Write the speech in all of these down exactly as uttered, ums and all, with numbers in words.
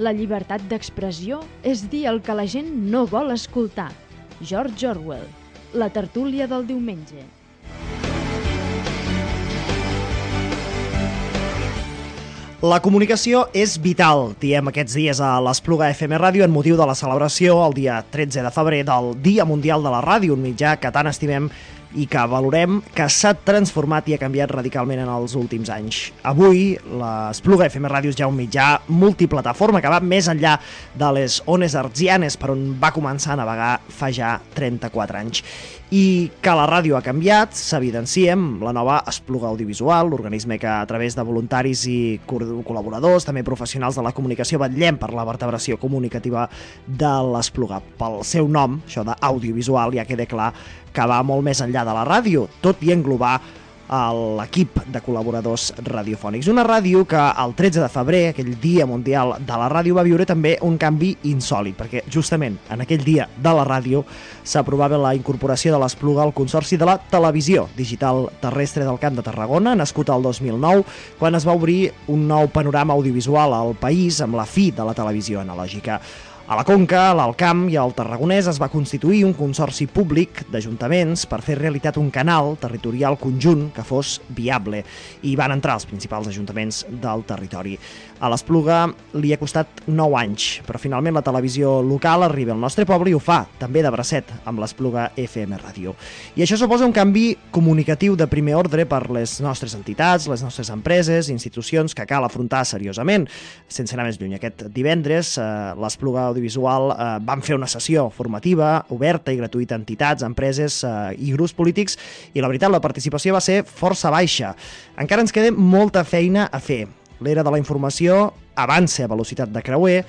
La llibertat d'expressió és dir el que la gent no vol escoltar. George Orwell. La tertúlia del diumenge. La comunicació és vital, diem aquests dies a l'Espluga F M Ràdio en motiu de la celebració el dia tretze de febrer del Dia Mundial de la Ràdio, un mitjà que tant estimem i que valorem, que s'ha transformat i ha canviat radicalment en els últims anys. Avui, l'Espluga F M Ràdio és ja un mitjà multiplataforma que va més enllà de les ones hertzianes per on va començar a navegar fa ja trenta-quatre anys. I que la ràdio ha canviat s'evidenciem la nova Espluga Audiovisual, l'organisme que a través de voluntaris i col·laboradors, també professionals de la comunicació, vetllem per la vertebració comunicativa de l'Espluga. Pel seu nom, això d'audiovisual, ja queda clar que va molt més enllà de la ràdio, tot i englobar l'equip de col·laboradors radiofònics. Una ràdio que el tretze de febrer, aquell Dia Mundial de la Ràdio, va viure també un canvi insòlit, perquè justament en aquell dia de la ràdio s'aprovava la incorporació de l'Espluga al Consorci de la Televisió Digital Terrestre del Camp de Tarragona, nascut el dos mil nou, quan es va obrir un nou panorama audiovisual al país amb la fi de la televisió analògica. A la Conca, a l'Alt Camp i al Tarragonès es va constituir un consorci públic d'ajuntaments per fer realitat un canal territorial conjunt que fos viable, i van entrar els principals ajuntaments del territori. A l'Espluga li ha costat nou anys, però finalment la televisió local arriba al nostre poble i ho fa, també de bracet, amb l'Espluga F M Ràdio. I això suposa un canvi comunicatiu de primer ordre per les nostres entitats, les nostres empreses, institucions que cal afrontar seriosament. Sense anar més lluny, aquest divendres eh, l'Espluga Audiovisual eh, van fer una sessió formativa, oberta i gratuïta a entitats, empreses eh, i grups polítics, i la veritat, la participació va ser força baixa. Encara ens queda molta feina a fer. L'era de la informació avança a velocitat de creuer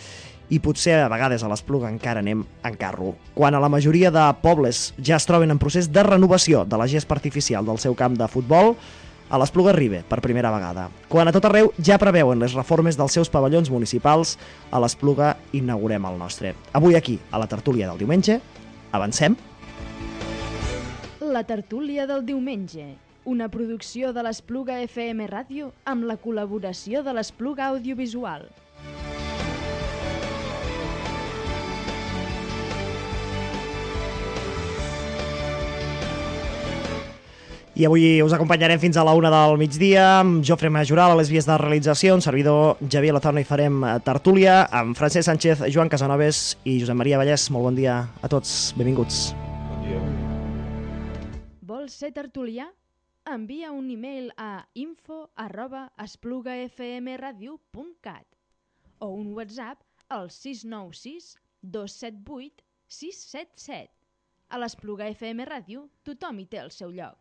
i potser a vegades a l'Espluga encara anem en carro. Quan a la majoria de pobles ja es troben en procés de renovació de la gespa artificial del seu camp de futbol, a l'Espluga arriba per primera vegada. Quan a tot arreu ja preveuen les reformes dels seus pavellons municipals, a l'Espluga inaugurem el nostre. Avui aquí, a la tertúlia del diumenge, avancem? La tertúlia del diumenge, una producció de l'Espluga F M Ràdio amb la col·laboració de l'Espluga Audiovisual. I avui us acompanyarem fins a la una del migdia amb Jofre Majoral a les vies de realització, un servidor Javier Lozano, i farem tertúlia amb Francesc Sánchez, Joan Casanovas i Josep Maria Vallès. Molt bon dia a tots, benvinguts. Bon dia. Vols ser tertulià? Envia un e-mail a info arroba esplugafmradio punt cat o un WhatsApp al sis nou sis dos set vuit sis set set. A l'Espluga F M Ràdio tothom hi té el seu lloc.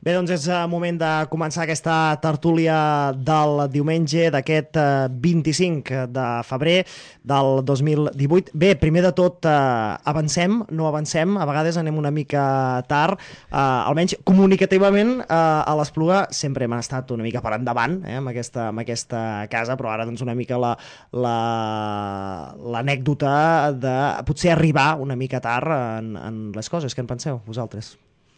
Bé, doncs és moment de començar aquesta tertúlia del diumenge d'aquest vint-i-cinc de febrer del dos mil divuit. Bé, primer de tot, eh, avancem, no avancem, a vegades anem una mica tard, eh, almenys comunicativament eh, a l'Espluga sempre hem estat una mica per endavant eh, amb, aquesta, amb aquesta casa, però ara doncs una mica la, la, l'anècdota de potser arribar una mica tard en, en les coses. Què en penseu, vosaltres?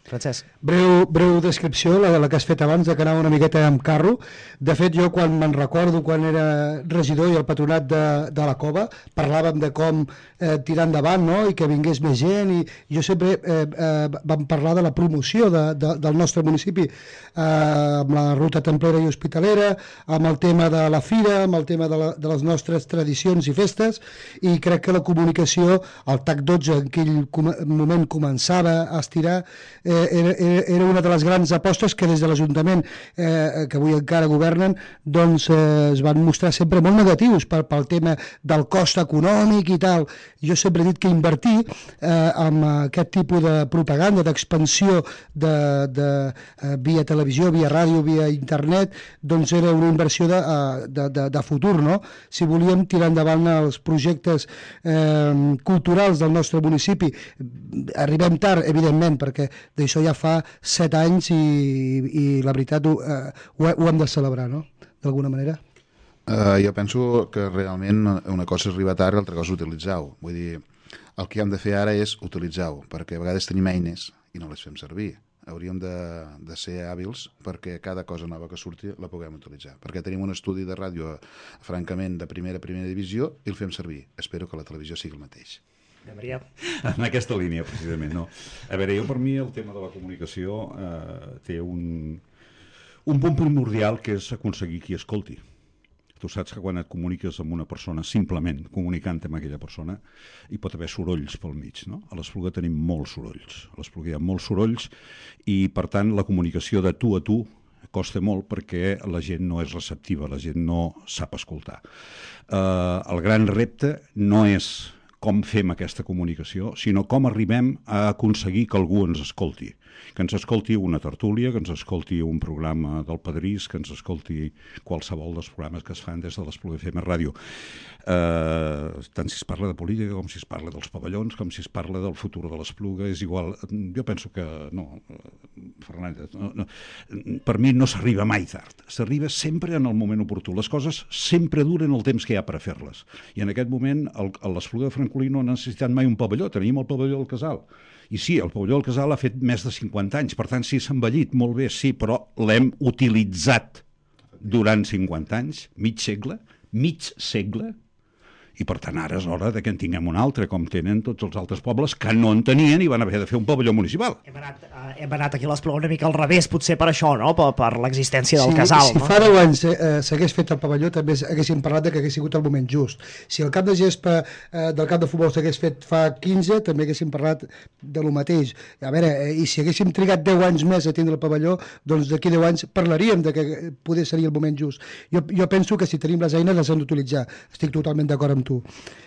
Francesc. Breu, breu descripció, la, la que has fet abans, de que anava una miqueta amb carro. De fet, jo quan me'n recordo, quan era regidor i al patronat de, de la Cova, parlàvem de com eh, tirar endavant, no?, i que vingués més gent, i jo sempre eh, eh, vam parlar de la promoció de, de, del nostre municipi, eh, amb la ruta templera i hospitalera, amb el tema de la fira, amb el tema de, la, de les nostres tradicions i festes, i crec que la comunicació, el T A C dotze en aquell com moment començava a estirar, eh, Era, era una de les grans apostes que des de l'Ajuntament, eh, que avui encara governen, doncs eh, es van mostrar sempre molt negatius pel, pel tema del cost econòmic i tal. Jo sempre he dit que invertir eh, amb aquest tipus de propaganda, d'expansió de, de, eh, via televisió, via ràdio, via internet, doncs era una inversió de, de, de, de futur, no? Si volíem tirar endavant els projectes eh, culturals del nostre municipi, arribem tard, evidentment, perquè d'això ja fa set anys i, i la veritat ho, eh, ho, ho hem de celebrar, no?, d'alguna manera. Uh, jo penso que realment una cosa és arribar tard i l'altra cosa és utilitzar-ho. Vull dir, el que hem de fer ara és utilitzar-ho, perquè a vegades tenim eines i no les fem servir. hauríem de, de ser hàbils perquè cada cosa nova que surti la puguem utilitzar. Perquè tenim un estudi de ràdio, francament, de primera primera divisió i el fem servir. Espero que la televisió sigui el mateix. Maria. En aquesta línia, precisament, no. A veure, jo per mi el tema de la comunicació eh, té un, un punt primordial que és aconseguir qui escolti. Tu saps que quan et comuniques amb una persona, simplement comunicant amb aquella persona, hi pot haver sorolls pel mig, no? A l'Espluga tenim molts sorolls. A l'Espluga hi ha molts sorolls i, per tant, la comunicació de tu a tu costa molt perquè la gent no és receptiva, la gent no sap escoltar. Eh, el gran repte no és com fem aquesta comunicació, sinó com arribem a aconseguir que algú ens escolti. Que ens escolti una tertúlia, que ens escolti un programa del Padrís, que ens escolti qualsevol dels programes que es fan des de l'Espluga F M Ràdio. Eh, tant si es parla de política, com si es parla dels pavellons, com si es parla del futur de l'Espluga, és igual. Jo penso que no, Fernández, no, no, per mi no s'arriba mai tard. S'arriba sempre en el moment oportú. Les coses sempre duren el temps que hi ha per a fer-les. I en aquest moment l'Espluga de Francolí no ha necessitat mai un pavelló. Tenim el pavelló del Casal. I sí, el pavelló del Casal ha fet més de cinquanta anys, per tant, sí, s'ha envellit, molt bé, sí, però l'hem utilitzat durant cinquanta anys, mig segle, mig segle, i per tant ara és hora de que en tinguem un altre, com tenen tots els altres pobles que no en tenien i van haver de fer un pavelló municipal. Hem anat, uh, hem anat aquí a l'Espluga una mica al revés, potser per això, no? Per, per l'existència del si, Casal. Si no? fa deu anys eh, s'hagués fet el pavelló, també haguéssim parlat de que hagués sigut el moment just. Si el camp de gespa eh, del camp de futbol s'hagués fet fa quinze, també haguéssim parlat de lo mateix. A veure, eh, i si haguéssim trigat deu anys més a tindre el pavelló, doncs d'aquí deu anys parlaríem de que poder seria el moment just. Jo, jo penso que si tenim les eines les hem d'utilitzar. Estic totalment d'acord amb tu.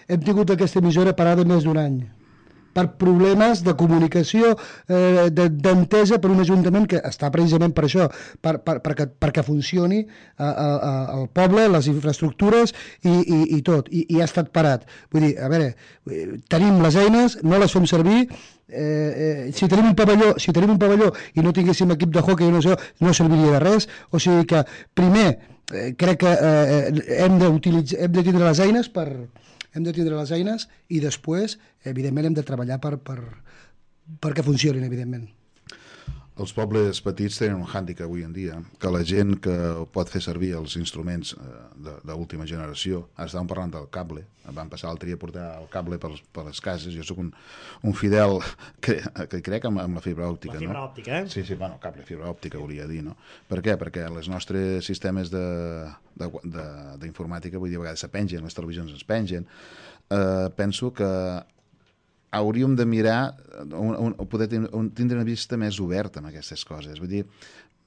Hem tingut aquesta emissora parada més d'un any per problemes de comunicació, eh, d'entesa per un ajuntament que està precisament per això, per, per, perquè, perquè funcioni a, a, a, el poble, les infraestructures i, i, i tot, I, i ha estat parat. Vull dir, a veure, tenim les eines, no les fem servir, eh, eh, si tenim un pavelló, si tenim un pavelló i no tinguéssim equip de hockey, no, sé, no serviria de res, o sigui que primer eh, crec que eh, hem d'utilitzar, hem de tindre les eines per hem de tindre les eines i després, evidentment, hem de treballar per, per, perquè funcionin, evidentment. Els pobles petits tenen un hàndicap avui en dia, que la gent que pot fer servir els instruments d'última generació, ara estàvem parlant del cable, vam passar l'altre dia a portar el cable per, per les cases, jo sóc un, un fidel que, que crec amb, amb la fibra òptica. La fibra no? òptica, eh? Sí, sí, bueno, cable, fibra òptica, volia dir, no? Per què? Perquè els nostres sistemes d'informàtica, vull dir, a vegades se pengen, les televisions es pengen, eh, penso que hauríem de mirar, un, un, poder tindre una vista més oberta amb aquestes coses. Vull dir,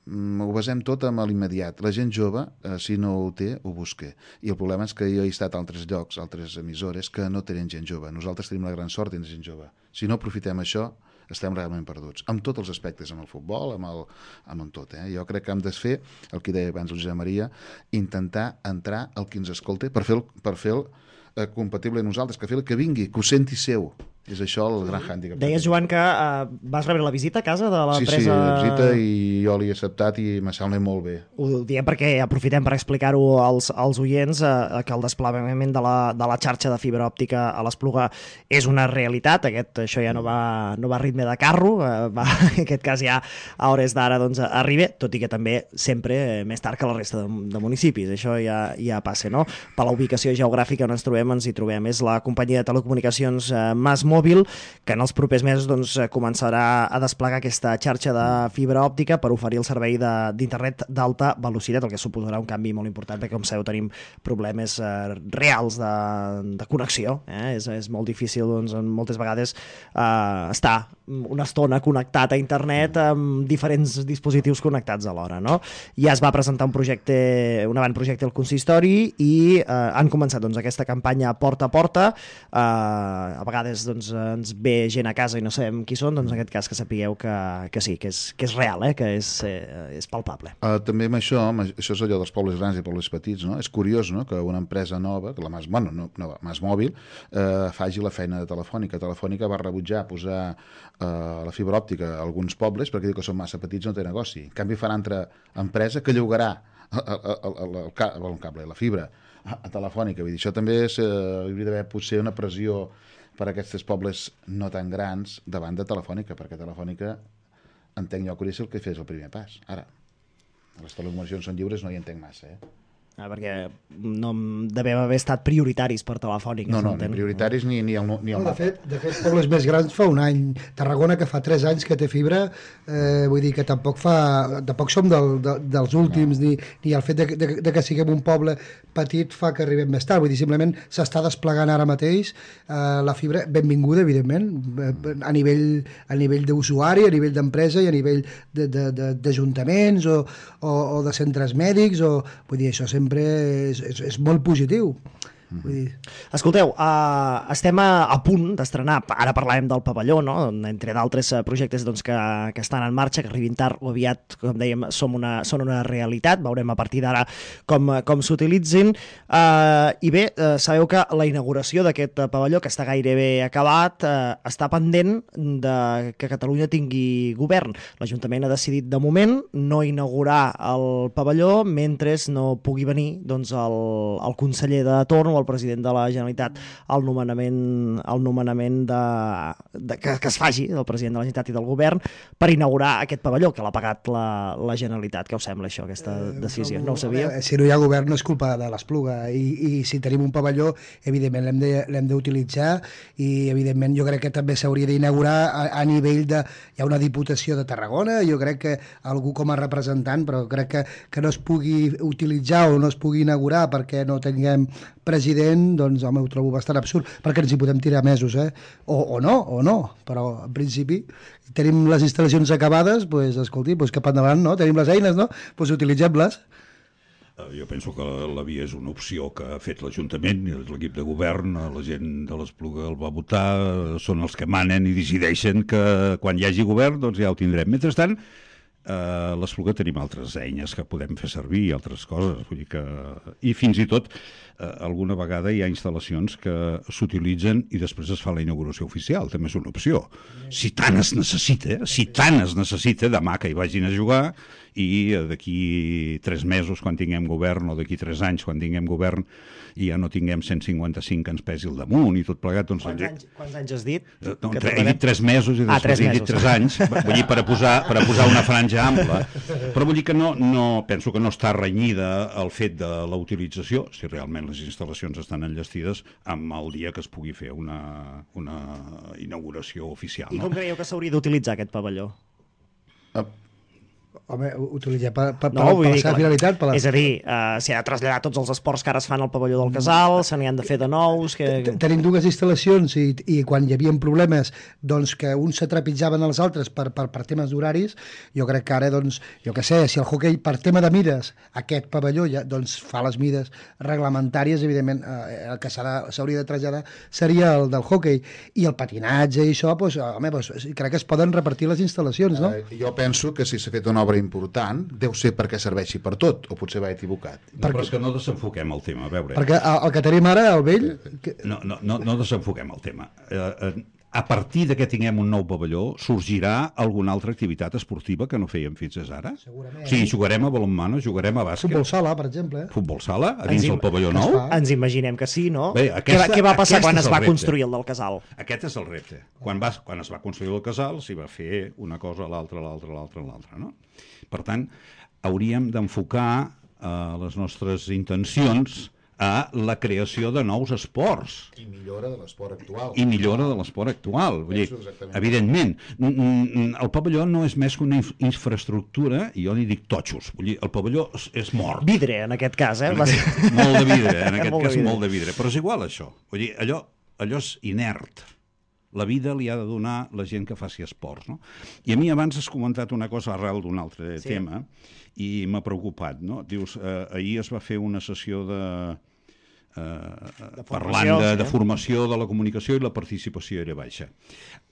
ho basem tot amb l'immediat. La gent jove, eh, si no ho té, ho busca. I el problema és que jo he estat a altres llocs, altres emissores, que no tenen gent jove. Nosaltres tenim la gran sort de tenir gent jove. Si no aprofitem això, estem realment perduts. Amb tots els aspectes, amb el futbol, amb, el, amb tot. Eh? Jo crec que hem de fer, el que deia abans el Josep Maria, intentar entrar al qui ens escolta per fer el, per fer el eh, compatible a nosaltres, que fer el que vingui, que ho senti seu. És això el gran hàndicap. Deies, Joan, que uh, vas rebre la visita a casa de l'empresa... Sí, sí, la visita i jo l'he acceptat i m'ha semblat molt bé. Ho diem perquè aprofitem per explicar-ho als, als oients, uh, que el desplegament de la, de la xarxa de fibra òptica a l'Espluga és una realitat. Aquest, això ja no va, no va a ritme de carro, uh, va, en aquest cas ja a hores d'ara doncs, arriba, tot i que també sempre eh, més tard que la resta de, de municipis. Això ja, ja passa, no? Per la ubicació geogràfica on ens trobem, ens hi trobem. És la companyia de telecomunicacions uh, Mas Mòbil, que en els propers mesos doncs, començarà a desplegar aquesta xarxa de fibra òptica per oferir el servei d'internet d'alta velocitat, el que suposarà un canvi molt important, perquè com sabeu tenim problemes eh, reals de, de connexió. Eh? És, és molt difícil doncs, moltes vegades eh, estar una estona connectat a internet amb diferents dispositius connectats alhora. No? Ja es va presentar un projecte, un avantprojecte al consistori i eh, han començat doncs, aquesta campanya porta a porta. Eh, a vegades doncs, ens ve gent a casa i no sabem qui són, doncs en aquest cas que sapigueu que, que sí, que és, que és real, eh? Que és, eh, és palpable. Uh, també amb això, això és allò dels pobles grans i pobles petits, no? És curiós, no?, que una empresa nova, que la Mas, bueno, no, no, Mas Mòbil, uh, faci la feina de Telefònica. Telefònica va rebutjar posar uh, la fibra òptica a alguns pobles perquè diu que són massa petits, no té negoci. En canvi farà altra empresa que llogarà el, el, el, el, el, el cable, la fibra a, a Telefònica. Vull dir, això també és, uh, hauria d'haver potser una pressió per a aquests pobles no tan grans davant de Telefònica, perquè Telefònica entenc jo que hauria de ser el que fes el primer pas. Ara, les telecomunicacions són lliures, no hi entenc massa, eh? Ah, perquè no devem haver estat prioritaris per Telefònica. No, no, ni prioritaris ni, ni el, ni el no, de mapa. fet, de fet, pobles més grans fa un any. Tarragona, que fa tres anys que té fibra, eh, vull dir que tampoc fa, tampoc som del, de, dels últims, no. ni, ni el fet de, de, de que siguem un poble petit fa que arribem més tard. Vull dir, simplement s'està desplegant ara mateix eh, la fibra, benvinguda, evidentment, eh, a nivell, a nivell d'usuari, a nivell d'empresa i a nivell d'ajuntaments o, o, o de centres mèdics, o, vull dir, això sempre és, és, és molt positiu. Vull dir... Escolteu, uh, estem a, a punt d'estrenar, ara parlàvem del pavelló, no? Entre d'altres uh, projectes doncs, que, que estan en marxa, que arribin tard o aviat, com dèiem, som una, són una realitat, veurem a partir d'ara com, com s'utilitzin, uh, i bé, uh, sabeu que la inauguració d'aquest pavelló, que està gairebé acabat, uh, està pendent de que Catalunya tingui govern. L'Ajuntament ha decidit de moment no inaugurar el pavelló mentre no pugui venir doncs, el, el conseller de torn o el president de la Generalitat el nomenament, el nomenament de, de, que, que es faci del president de la Generalitat i del govern per inaugurar aquest pavelló que l'ha pagat la, la Generalitat. Què us sembla això, aquesta decisió? No ho sabia? Veure, si no hi ha govern no és culpa de l'Espluga i, i si tenim un pavelló evidentment l'hem de, l'hem d'utilitzar i evidentment jo crec que també s'hauria d'inaugurar a, a nivell de... Hi ha una Diputació de Tarragona, jo crec que algú com a representant, però crec que, que no es pugui utilitzar o no es pugui inaugurar perquè no tinguem president, doncs home, ho trobo bastant absurd, perquè ens hi podem tirar mesos, eh? O, o no, o no, però en principi tenim les instal·lacions acabades, doncs escolti, doncs cap endavant, no? Tenim les eines, no? Doncs utilitzem-les. Jo penso que la via és una opció que ha fet l'Ajuntament, l'equip de govern, la gent de l'Espluga el va votar, són els que manen i decideixen que quan hi hagi govern doncs ja ho tindrem. Mentrestant, a l'Espluga tenim altres eines que podem fer servir, altres coses, vull dir que... I fins i tot, eh, alguna vegada hi ha instal·lacions que s'utilitzen i després es fa la inauguració oficial, també és una opció. Si tant es necessita, si tant es necessita, demà que hi vagin a jugar i d'aquí tres mesos, quan tinguem govern, o d'aquí tres anys, quan tinguem govern, i ja no tinguem cent cinquanta-cinc que ens pesi al damunt i tot plegat... Doncs, quants, anys, quants anys has dit? No, tre, he dit tres mesos i ah, després he dit tres anys, vull dir, per a posar, per a posar una franja ampla. Però vull dir que no, no, penso que no està renyida el fet de la utilització, si realment les instal·lacions estan enllestides, amb el dia que es pugui fer una, una inauguració oficial. I no? com creieu que s'hauria d'utilitzar aquest pavelló? Uh, Home, utilitzar per, per, No, per, vull per dir la seva que- finalitat. Per la... És a dir, uh, s'hi ha de traslladar tots els esports que ara es fan al pavelló del Casal, se n'hi han de fer de nous... Que... T- Tenim dues instal·lacions i, i quan hi havia problemes doncs, que uns se trepitjaven els altres per, per, per temes d'horaris, jo crec que ara, doncs, jo què sé, si el hoquei per tema de mides, aquest pavelló ja doncs, fa les mides reglamentàries, evidentment eh, el que s'ha de- s'hauria de traslladar seria el del hoquei, i el patinatge i això, doncs, home, doncs, crec que es poden repartir les instal·lacions, no? eh, jo penso que si s'ha fet una obra important deu ser perquè serveixi per tot, o potser va equivocat. No, però és que no desenfoquem el tema, a veure. Perquè el, el que tenim ara, el vell... Que... No, no, no, no desenfoquem el tema. Eh, eh, a partir de que tinguem un nou pavelló, sorgirà alguna altra activitat esportiva que no fèiem fins ara? Segurament. O sigui, jugarem a balonmano, jugarem a bàsquet... Futbol sala, per exemple. Futbol sala, a dins Ens del pavelló es nou? fa. Ens imaginem que sí, no? Bé, què, aquesta- va, què va passar aquest quan és es el va repte. construir el del Casal? Aquest és el repte. Quan, va, quan es va construir el casal, s'hi va fer una cosa, l'altra, l'altra, l'altra, l'altra, no? Per tant, hauríem d'enfocar eh, les nostres intencions a la creació de nous esports I millora de l'esport actual. i millora de l'esport actual. Vull dir, Penso exactament. evidentment, mm, mm, el pavelló no és més que una inf- infraestructura, i jo li dic totxos. Vull dir, el pavelló és, és mort. Vidre, en aquest cas, eh? En Va ser- aquest, molt de vidre, en aquest Molt de cas vidre. molt de vidre. Però és igual, això. Vull dir, allò, allò és inert. La vida li ha de donar la gent que faci esports, no? I a mi abans has comentat una cosa arrel d'un altre Sí. tema i m'ha preocupat, no? Dius, eh, ahir es va fer una sessió de... Eh, parlant de, sí. de formació de la comunicació i la participació era baixa.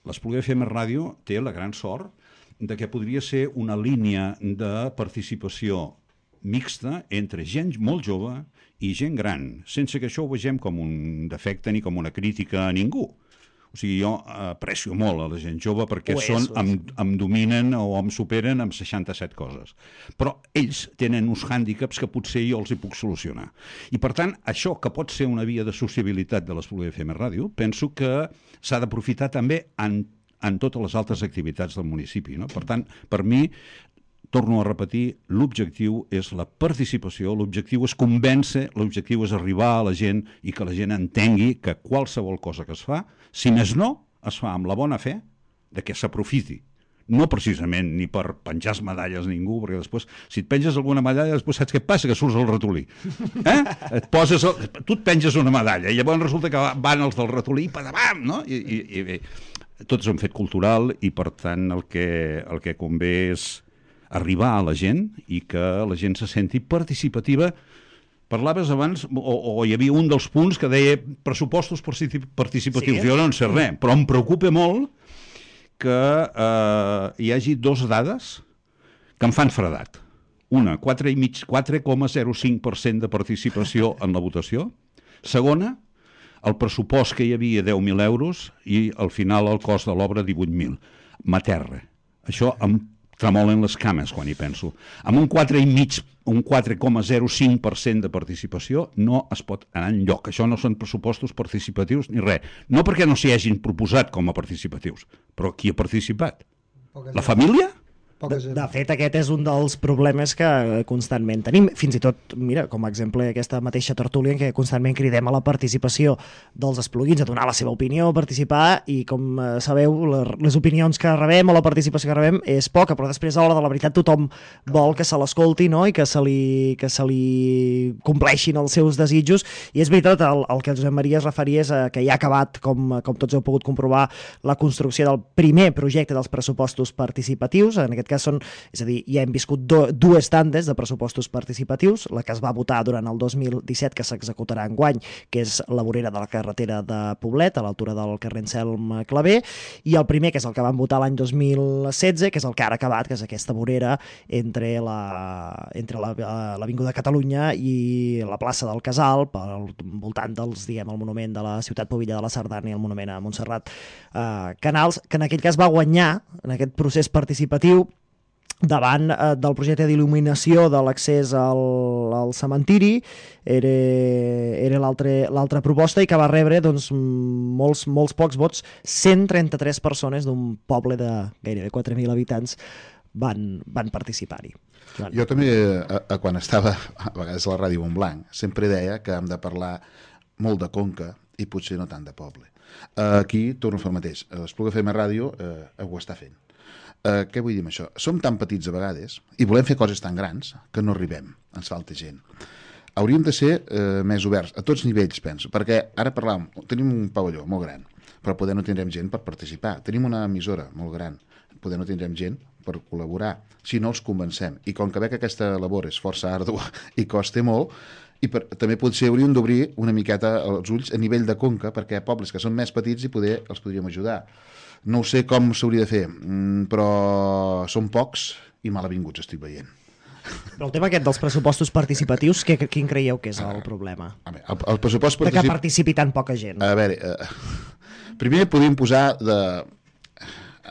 L'Espluga F M Ràdio té la gran sort de que podria ser una línia de participació mixta entre gent molt jove i gent gran, sense que això ho vegem com un defecte ni com una crítica a ningú. O sigui, jo aprecio molt a la gent jove perquè Ho és, són, ho és. em, em dominen o em superen amb seixanta-set coses. Però ells tenen uns hàndicaps que potser jo els hi puc solucionar. I per tant, això que pot ser una via de sociabilitat de l'Espluga F M Ràdio, penso que s'ha d'aprofitar també en, en totes les altres activitats del municipi, no? Per tant, per mi, torno a repetir, l'objectiu és la participació, l'objectiu és convèncer, l'objectiu és arribar a la gent i que la gent entengui que qualsevol cosa que es fa, si més no, es fa amb la bona fe de que s'aprofiti. No precisament ni per penjar medalles ningú, perquè després, si et penges alguna medalla, després saps què passa? Que surts el ratolí. Eh? Et poses el... Tu et penges una medalla i llavors resulta que van els del ratolí per davant, no? I, i, i tot és un fet cultural i, per tant, el que, el que convé és arribar a la gent i que la gent se senti participativa. Parlaves abans, o, o hi havia un dels punts que deia pressupostos participatius. Sí. Jo no en sé res, però em preocupa molt que eh, hi hagi dos dades que em fan fredat. Una, quatre coma zero cinc per cent de participació en la votació. Segona, el pressupost que hi havia deu mil euros i al final el cost de l'obra divuit mil. M'aterra. Això em tremolen les cames quan hi penso. Amb un quatre i mig, un quatre coma zero cinc per cent de participació no es pot anar enlloc. Això no són pressupostos participatius ni res. No perquè no s'hi hagin proposat com a participatius, però qui ha participat? La família? De, de fet, aquest és un dels problemes que constantment tenim. Fins i tot, mira, com a exemple, aquesta mateixa tertúlia en què constantment cridem a la participació dels espluguins, a donar la seva opinió, a participar, i com sabeu, les opinions que rebem o la participació que rebem és poca, però després, a l'hora de la veritat, tothom vol que se l'escolti, no?, i que se li, que se li compleixin els seus desitjos. I és veritat, el, el que el Josep Maria es referia és a que ja ha acabat, com, com tots heu pogut comprovar, la construcció del primer projecte dels pressupostos participatius. En aquest cas són, és a dir, ja hem viscut do, dues tandes de pressupostos participatius, la que es va votar durant el dos mil disset, que s'executarà enguany, que és la vorera de la carretera de Poblet, a l'altura del carrer Anselm Clavé, i el primer, que és el que van votar l'any dos mil setze, que és el que ara ha acabat, que és aquesta vorera entre la, entre la, l'Avinguda Catalunya i la plaça del Casal, al voltant dels, diguem, el monument de la ciutat Pobilla de la Sardana i el monument a Montserrat eh, Canals, que en aquell cas va guanyar en aquest procés participatiu davant eh, del projecte d'il·luminació de l'accés al, al cementiri. Era, era l'altra proposta, i que va rebre doncs, molts, molts pocs vots. cent trenta-tres persones d'un poble de gairebé quatre mil habitants van, van participar-hi. Joan. Jo també, a, a, quan estava a vegades a la Ràdio Montblanc, sempre deia que hem de parlar molt de Conca i potser no tant de poble. Uh, aquí torno a fer el mateix. L'Espluga F M Ràdio uh, ho està fent. Uh, què vull dir amb això? Som tan petits a vegades i volem fer coses tan grans que no arribem, ens falta gent. Hauríem de ser uh, més oberts, a tots nivells, penso, perquè ara parlàvem, tenim un pavelló molt gran, però poder no tindrem gent per participar. Tenim una emissora molt gran, poder no tindrem gent per col·laborar, si no els convencem. I com que veig que aquesta labor és força àrdua i costa molt, i per, també potser hauríem d'obrir una miqueta els ulls a nivell de Conca, perquè hi ha pobles que són més petits i poder els podríem ajudar. No ho sé com s'hauria de fer, però són pocs i malavinguts estic veient. Però el tema aquest dels pressupostos participatius, que, quin creieu que és el problema? A veure, el, el pressupost particip... De que participi tan poca gent. A veure, eh, primer podríem posar de,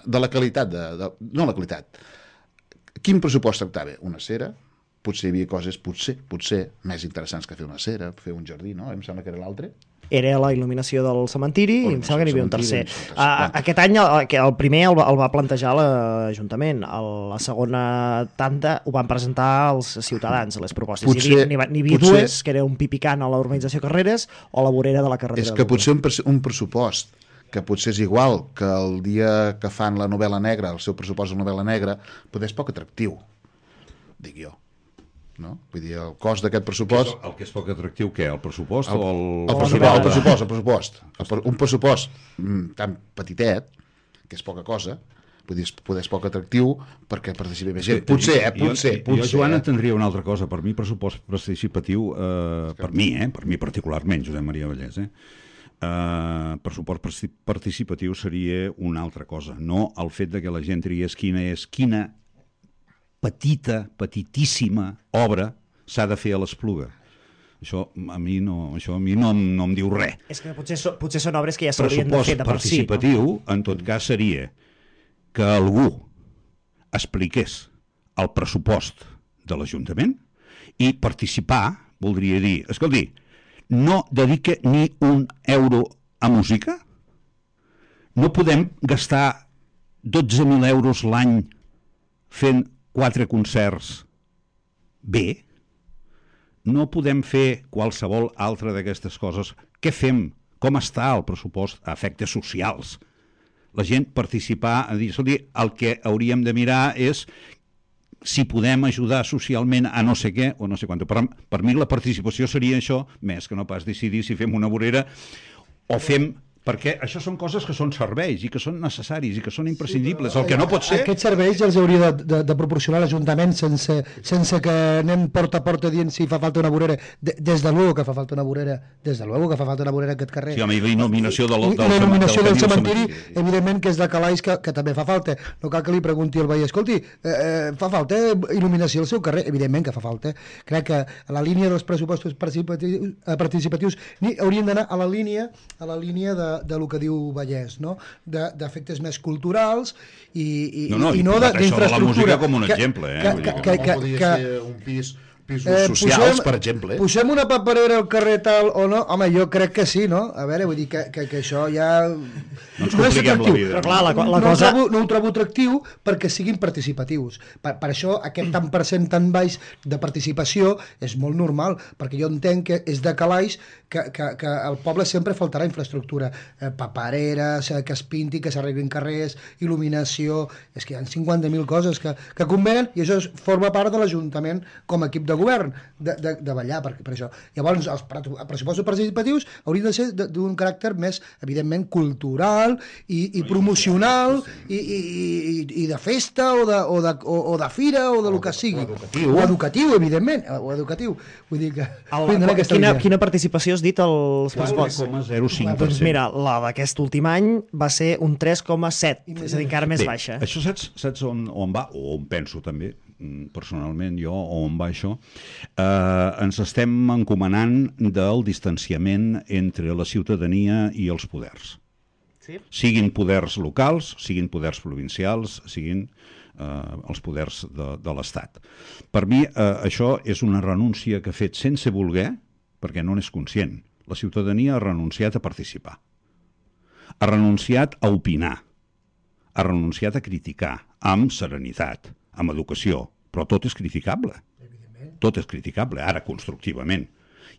de la qualitat, de, de, no la qualitat. Quin pressupost tractava? Una cera? Potser hi havia coses, potser, potser més interessants que fer una cera, fer un jardí, no? Em sembla que era l'altre. Era la il·luminació del cementiri, i em sembla que n'hi havia un tercer. Uh, aquest any el, el primer el, el va plantejar l'Ajuntament, la segona tanda ho van presentar els ciutadans, les propostes. Potser, n'hi havia, havia potser, dues, que era un pipicant a la urbanització Carreres o la vorera de la carretera. És que potser un, un pressupost que potser és igual que el dia que fan la novel·la negra, el seu pressupost de novel·la negra, potser és poc atractiu, dic jo. No? Vull dir, el cost d'aquest pressupost... El que és poc atractiu, què? El pressupost el, o el... El pressupost, el pressupost, el pressupost. El, un pressupost mm, tan petitet, que és poca cosa, vull dir, poder és poc atractiu perquè participi més gent. Potser, eh? Potser, jo, potser. Jo, Joan, entendria una altra cosa. Per mi, pressupost participatiu, eh, per mi, eh? Per mi particularment, Josep Maria Vallès, eh? Uh, pressupost participatiu seria una altra cosa, no el fet de que la gent triés quina és, quina petita, petitíssima obra s'ha de fer a l'Espluga. Això a mi no, això a mi no, no em diu res. És que potser, so, potser són obres que ja s'haurien de fer de per si. Pressupost participatiu, no? En tot cas, seria que algú expliqués el pressupost de l'Ajuntament i participar voldria dir, escolti, no dedica ni un euro a música? No podem gastar dotze mil euros l'any fent quatre concerts bé? No podem fer qualsevol altra d'aquestes coses. Què fem? Com està el pressupost a efectes socials? La gent participar, a dir, escolti, el que hauríem de mirar és si podem ajudar socialment a no sé què o no sé quant. Per, per mi la participació seria això, més que no pas decidir si fem una vorera o fem... Perquè això són coses que són serveis i que són necessaris i que són imprescindibles. Sí, el que no pot ser... Aquests serveis els hauria de, de, de proporcionar l'Ajuntament sense, sense que anem porta a porta dient si fa falta una vorera. De, des de luego que fa falta una vorera, des de luego que fa falta una vorera a aquest carrer. Sí, home, i la il·luminació del, del, la il·luminació del, del cementiri, cementiri, evidentment que és de calaix que, que també fa falta. No cal que li pregunti al veí, escolti, eh, eh, fa falta il·luminació al seu carrer? Evidentment que fa falta. Crec que a la línia dels pressupostos participatius, participatius ni haurien d'anar a la línia a la línia de de lo que diu Vallès, no? D'efectes més culturals i, i, no, no, i no d'infraestructura. Això de la música com un exemple. Eh? Que, que, que, que, podria que, ser un pis... pisos eh, socials, posem, per exemple. Posem una paperera al carrer tal o no? Home, jo crec que sí, no? A veure, vull dir que, que, que això ja... No ens compliquem la vida. Però clar, la, la no, cosa... ho trobo, no ho trobo atractiu perquè siguin participatius. Per, per això aquest tant per cent tan baix de participació és molt normal, perquè jo entenc que és de calaix que, que, que al poble sempre faltarà infraestructura. Eh, papereres, eh, que es pinti, que s'arreglin carrers, il·luminació... És que hi ha cinquanta mil coses que, que convenen i això forma part de l'Ajuntament com a equip de govern, de, de, de ballar per, per això. Llavors, els pressupostos participatius haurien de ser d'un caràcter més, evidentment, cultural i, i promocional i, i, i, i de festa o de, o, de, o, o de fira o de lo que sigui. O educatiu. O educatiu, evidentment. O educatiu. Vull dir que... El, quina, quina participació has dit als pressupostos? quatre coma zero cinc per cent. Doncs mira, la d'aquest últim any va ser un tres coma set, és a dir, encara més Bé, baixa. Això saps, saps on, on va, o on penso també, personalment jo, o on va això? Eh, ens estem encomanant del distanciament entre la ciutadania i els poders. Sí? Siguin poders locals, siguin poders provincials, siguin eh, els poders de, de l'Estat. Per mi eh, això és una renúncia que ha fet sense voler, perquè no n'és conscient. La ciutadania ha renunciat a participar. Ha renunciat a opinar. Ha renunciat a criticar, amb serenitat, amb educació, però tot és criticable. Tot és criticable, ara constructivament.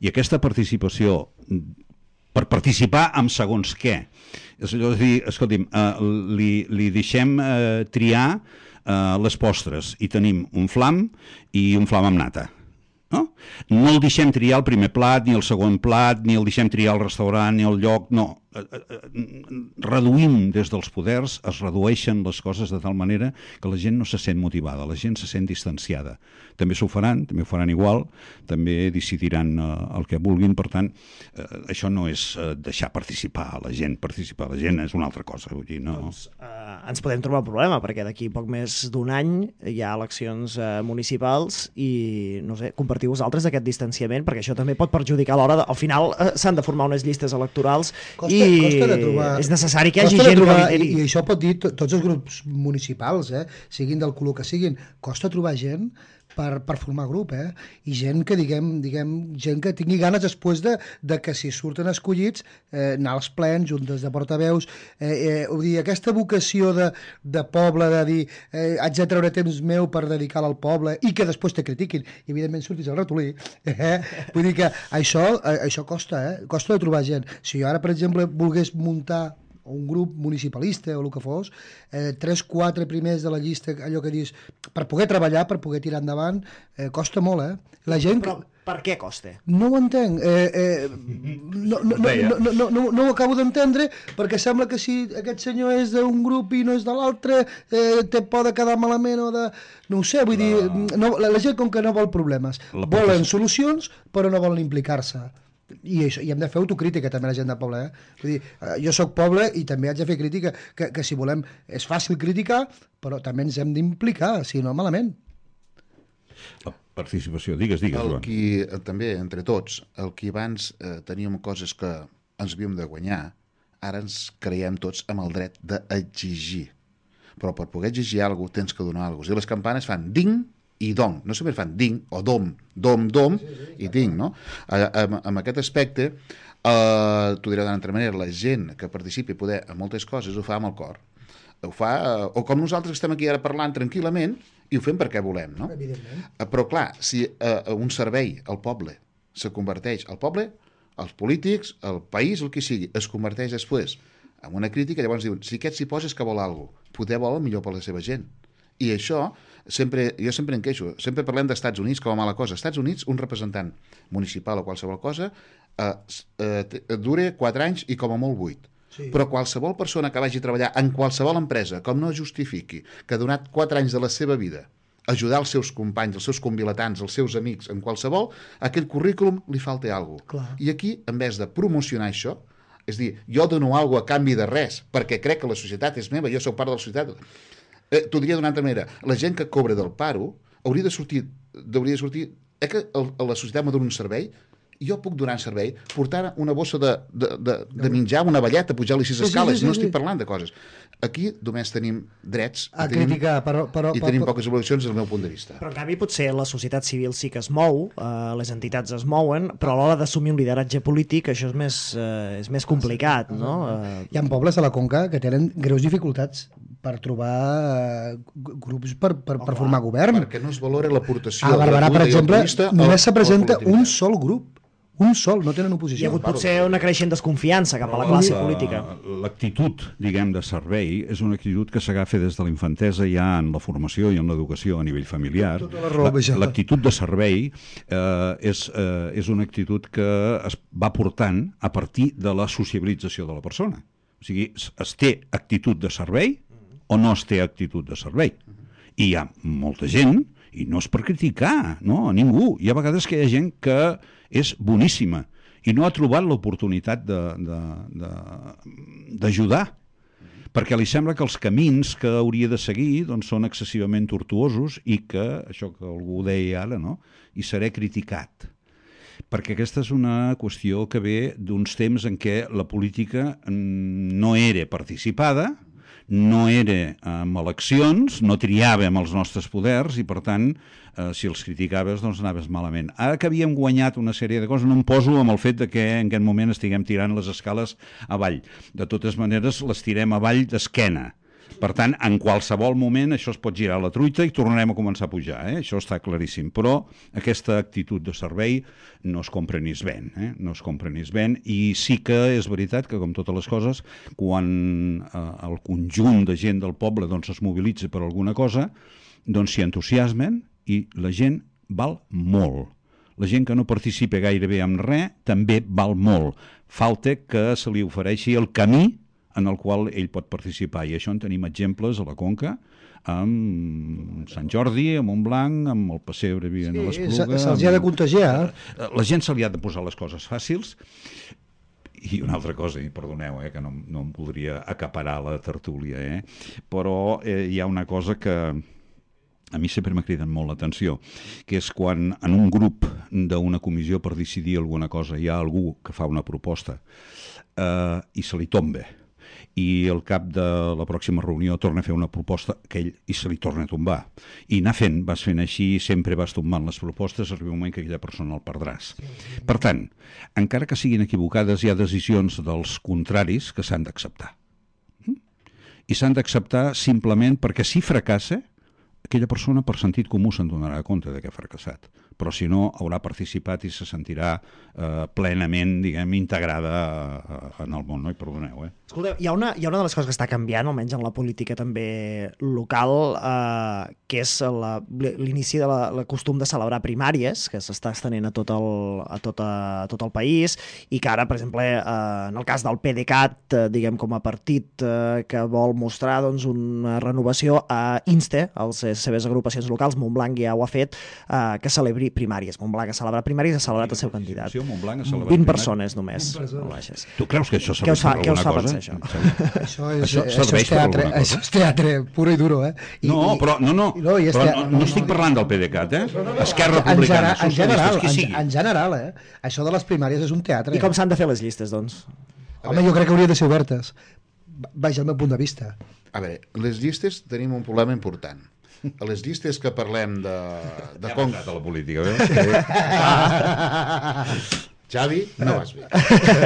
I aquesta participació, per participar amb segons què, és allò de dir, escolti'm, eh, li, li deixem eh, triar eh, les postres i tenim un flam i un flam amb nata. No? No el deixem triar el primer plat, ni el segon plat, ni el deixem triar el restaurant, ni el lloc, no. Reduïm des dels poders, es redueixen les coses de tal manera que la gent no se sent motivada, la gent se sent distanciada. També s'ho faran, també ho faran igual, també decidiran eh, el que vulguin, per tant, eh, això no és eh, deixar participar a la gent, participar a la gent és una altra cosa. Vull dir, no... Doncs eh, ens podem trobar un problema, perquè d'aquí poc més d'un any hi ha eleccions eh, municipals i, no sé, compartiu vosaltres aquest distanciament, perquè això també pot perjudicar a l'hora de... Al final eh, s'han de formar unes llistes electorals costa, i costa de trobar, és necessari que hi hagi gent trobar, que lideri. I, I això pot dir to, tots els grups municipals, eh, siguin del color que siguin, costa trobar gent per, per formar grup, eh? I gent que, diguem, diguem gent que tingui ganes després de, de que si surten escollits eh, anar als plens, juntes de portaveus, eh, eh, vull dir, aquesta vocació de, de poble, de dir eh, haig de treure temps meu per dedicar-lo al poble i que després te critiquin, i evidentment surtis al ratolí, eh? Vull dir que això, eh, això costa, eh? Costa de trobar gent. Si jo ara, per exemple, volgués muntar un grup municipalista o el que fos, eh, tres, quatre primers de la llista, allò que dius, per poder treballar, per poder tirar endavant, eh, costa molt, eh? La gent... Però per què costa? No ho entenc. Eh, eh, no, no, no, no, no, no, no, no ho acabo d'entendre, perquè sembla que si aquest senyor és d'un grup i no és de l'altre, eh, te pot quedar malament o de... No ho sé, vull la... dir, no, la, la gent com que no vol problemes. La volen solucions, però no volen implicar-se. I, això, i hem de fer autocrítica també la gent del poble, eh? Vull dir, jo sóc poble i també haig de fer crítica, que, que si volem és fàcil criticar, però també ens hem d'implicar, si no malament. La participació, digues, digues, el Joan. qui, també, entre tots, el que abans eh, teníem coses que ens havíem de guanyar, ara ens creiem tots amb el dret d'exigir. Però per poder exigir alguna cosa tens que donar alguna cosa. I les campanes fan ding i dong, no sempre fan ding o dom, dom, dom sí, sí, sí, i ding, no? Amb, amb aquest aspecte, eh, t'ho diré d'una altra manera, la gent que participi poder en moltes coses ho fa amb el cor. ho fa, o com nosaltres estem aquí ara parlant tranquil·lament i ho fem perquè volem, no? Evidentment. Però clar, si uh, un servei al poble se converteix, al poble, als polítics, al país, el que sigui, es converteix després en una crítica, llavors diuen, si aquest s'hi posa és que vol alguna cosa, poder vol el millor per la seva gent. I això, sempre, jo sempre en queixo, sempre parlem d'Estats Units com a mala cosa. Estats Units, un representant municipal o qualsevol cosa, eh, eh, dura quatre anys i com a molt vuit. Sí. Però qualsevol persona que vagi a treballar en qualsevol empresa, com no justifiqui que ha donat quatre anys de la seva vida ajudar els seus companys, els seus convilatants, els seus amics, en qualsevol, aquell currículum li falta alguna cosa. I aquí, en vez de promocionar això, és dir, jo dono alguna cosa a canvi de res, perquè crec que la societat és meva, jo soc part de la societat. Eh, T'ho diria d'una altra manera, la gent que cobra del paro hauria de sortir, hauria de sortir eh, que el, la societat me dona un servei, jo puc donar servei portant una bossa de, de, de, de menjar, una velleta, pujar-li sis escales, sí, sí, sí, no estic parlant de coses. Aquí només tenim drets a tenim, criticar, però, però, i tenim poques evolucions des del meu punt de vista. Però en canvi potser la societat civil sí que es mou, eh, les entitats es mouen, però a l'hora d'assumir un lideratge polític això és més, eh, és més complicat, no? Eh... Hi ha pobles a la Conca que tenen greus dificultats per trobar uh, grups per, per, oh, per formar govern. Perquè no es valora l'aportació. A Barberà, per exemple, només se presenta un sol grup. Un sol, no tenen oposició. Hi ha hagut potser una creixent desconfiança cap a la classe política. L'actitud, diguem, de servei és una actitud que s'agafa des de la infantesa ja en la formació i en l'educació a nivell familiar. L'actitud de servei eh, és, eh, és una actitud que es va portant a partir de la sociabilització de la persona. O sigui, es té actitud de servei o no es té actitud de servei. I hi ha molta gent, i no és per criticar, no, a ningú. Hi ha vegades que hi ha gent que és boníssima i no ha trobat l'oportunitat d'ajudar, perquè li sembla que els camins que hauria de seguir doncs, són excessivament tortuosos i que, això que algú deia ara, no? I seré criticat. Perquè aquesta és una qüestió que ve d'uns temps en què la política no era participada, no era amb eleccions, no triàvem els nostres poders i, per tant, eh, si els criticaves, doncs anaves malament. Ara que havíem guanyat una sèrie de coses, no em poso amb el fet de que en aquest moment estiguem tirant les escales avall. De totes maneres, les tirem avall d'esquena. Per tant, en qualsevol moment això es pot girar la truita i tornarem a començar a pujar, eh? Això està claríssim. Però aquesta actitud de servei no es compra ni es ven, eh? No es compra ni es ven, i sí que és veritat que, com totes les coses, quan eh, el conjunt de gent del poble doncs, es mobilitza per alguna cosa, doncs s'hi entusiasmen i la gent val molt. La gent que no participa gairebé en res també val molt. Falta que se li ofereixi el camí en el qual ell pot participar, i això en tenim exemples a la Conca, amb Sant Jordi, amb Montblanc, amb el Pessebre vivint sí, a l'Espluga. Se'ls ha de contagiar. La gent se li ha de posar les coses fàcils. I una altra cosa, i perdoneu, eh, que no, no em voldria acaparar la tertúlia, eh, però eh, hi ha una cosa que a mi sempre m'ha cridat molt l'atenció, que és quan en un grup d'una comissió per decidir alguna cosa hi ha algú que fa una proposta eh, i se li tomba, i al cap de la pròxima reunió torna a fer una proposta que ell i se li torna a tombar. I anar fent, vas fent així, sempre vas tombant les propostes, arriba un moment que aquella persona el perdràs. Per tant, encara que siguin equivocades, hi ha decisions dels contraris que s'han d'acceptar. I s'han d'acceptar simplement perquè si fracassa, aquella persona per sentit comú se'n donarà compte de que ha fracassat, però si no haurà participat i se sentirà eh, plenament, diguem, integrada eh, en el món, no? I perdoneu, eh? Escolteu, hi ha, una, hi ha una de les coses que està canviant, almenys en la política també local, eh, que és la, l'inici de la, la costum de celebrar primàries, que s'està estenent a tot el, a tot, a, a tot el país, i que ara, per exemple, eh, en el cas del PDeCAT, eh, diguem, com a partit eh, que vol mostrar doncs, una renovació, eh, insta als les seves agrupacions locals, Montblanc ja ho ha fet, eh, que celebri primàries. Montblanc ha celebrat primàries, ha celebrat el seu candidat. vint persones només. Persones. Tu creus que això serveix per alguna cosa? Això? Això, és, això, això, és teatre, això és teatre puro i duro, eh? I, no, però, no, no, no, però no, no estic parlant del PDeCAT, eh? No, no, no. Esquerra Republicana, en general, en, en general, eh? Això de les primàries és un teatre. I com s'han de fer les llistes, doncs? Home, jo crec que hauria de ser obertes. Vaja, el meu punt de vista. A veure, les llistes tenim un problema important. A les llistes que parlem de... de ja com... a la política, veus? Xavi, no vas bé.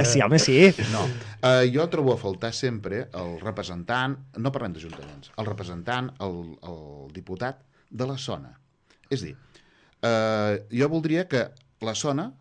Sí, home, sí. No. Uh, jo trobo a faltar sempre el representant, no parlem d'ajuntaments, el representant, el, el diputat de la zona. És a dir, uh, jo voldria que la zona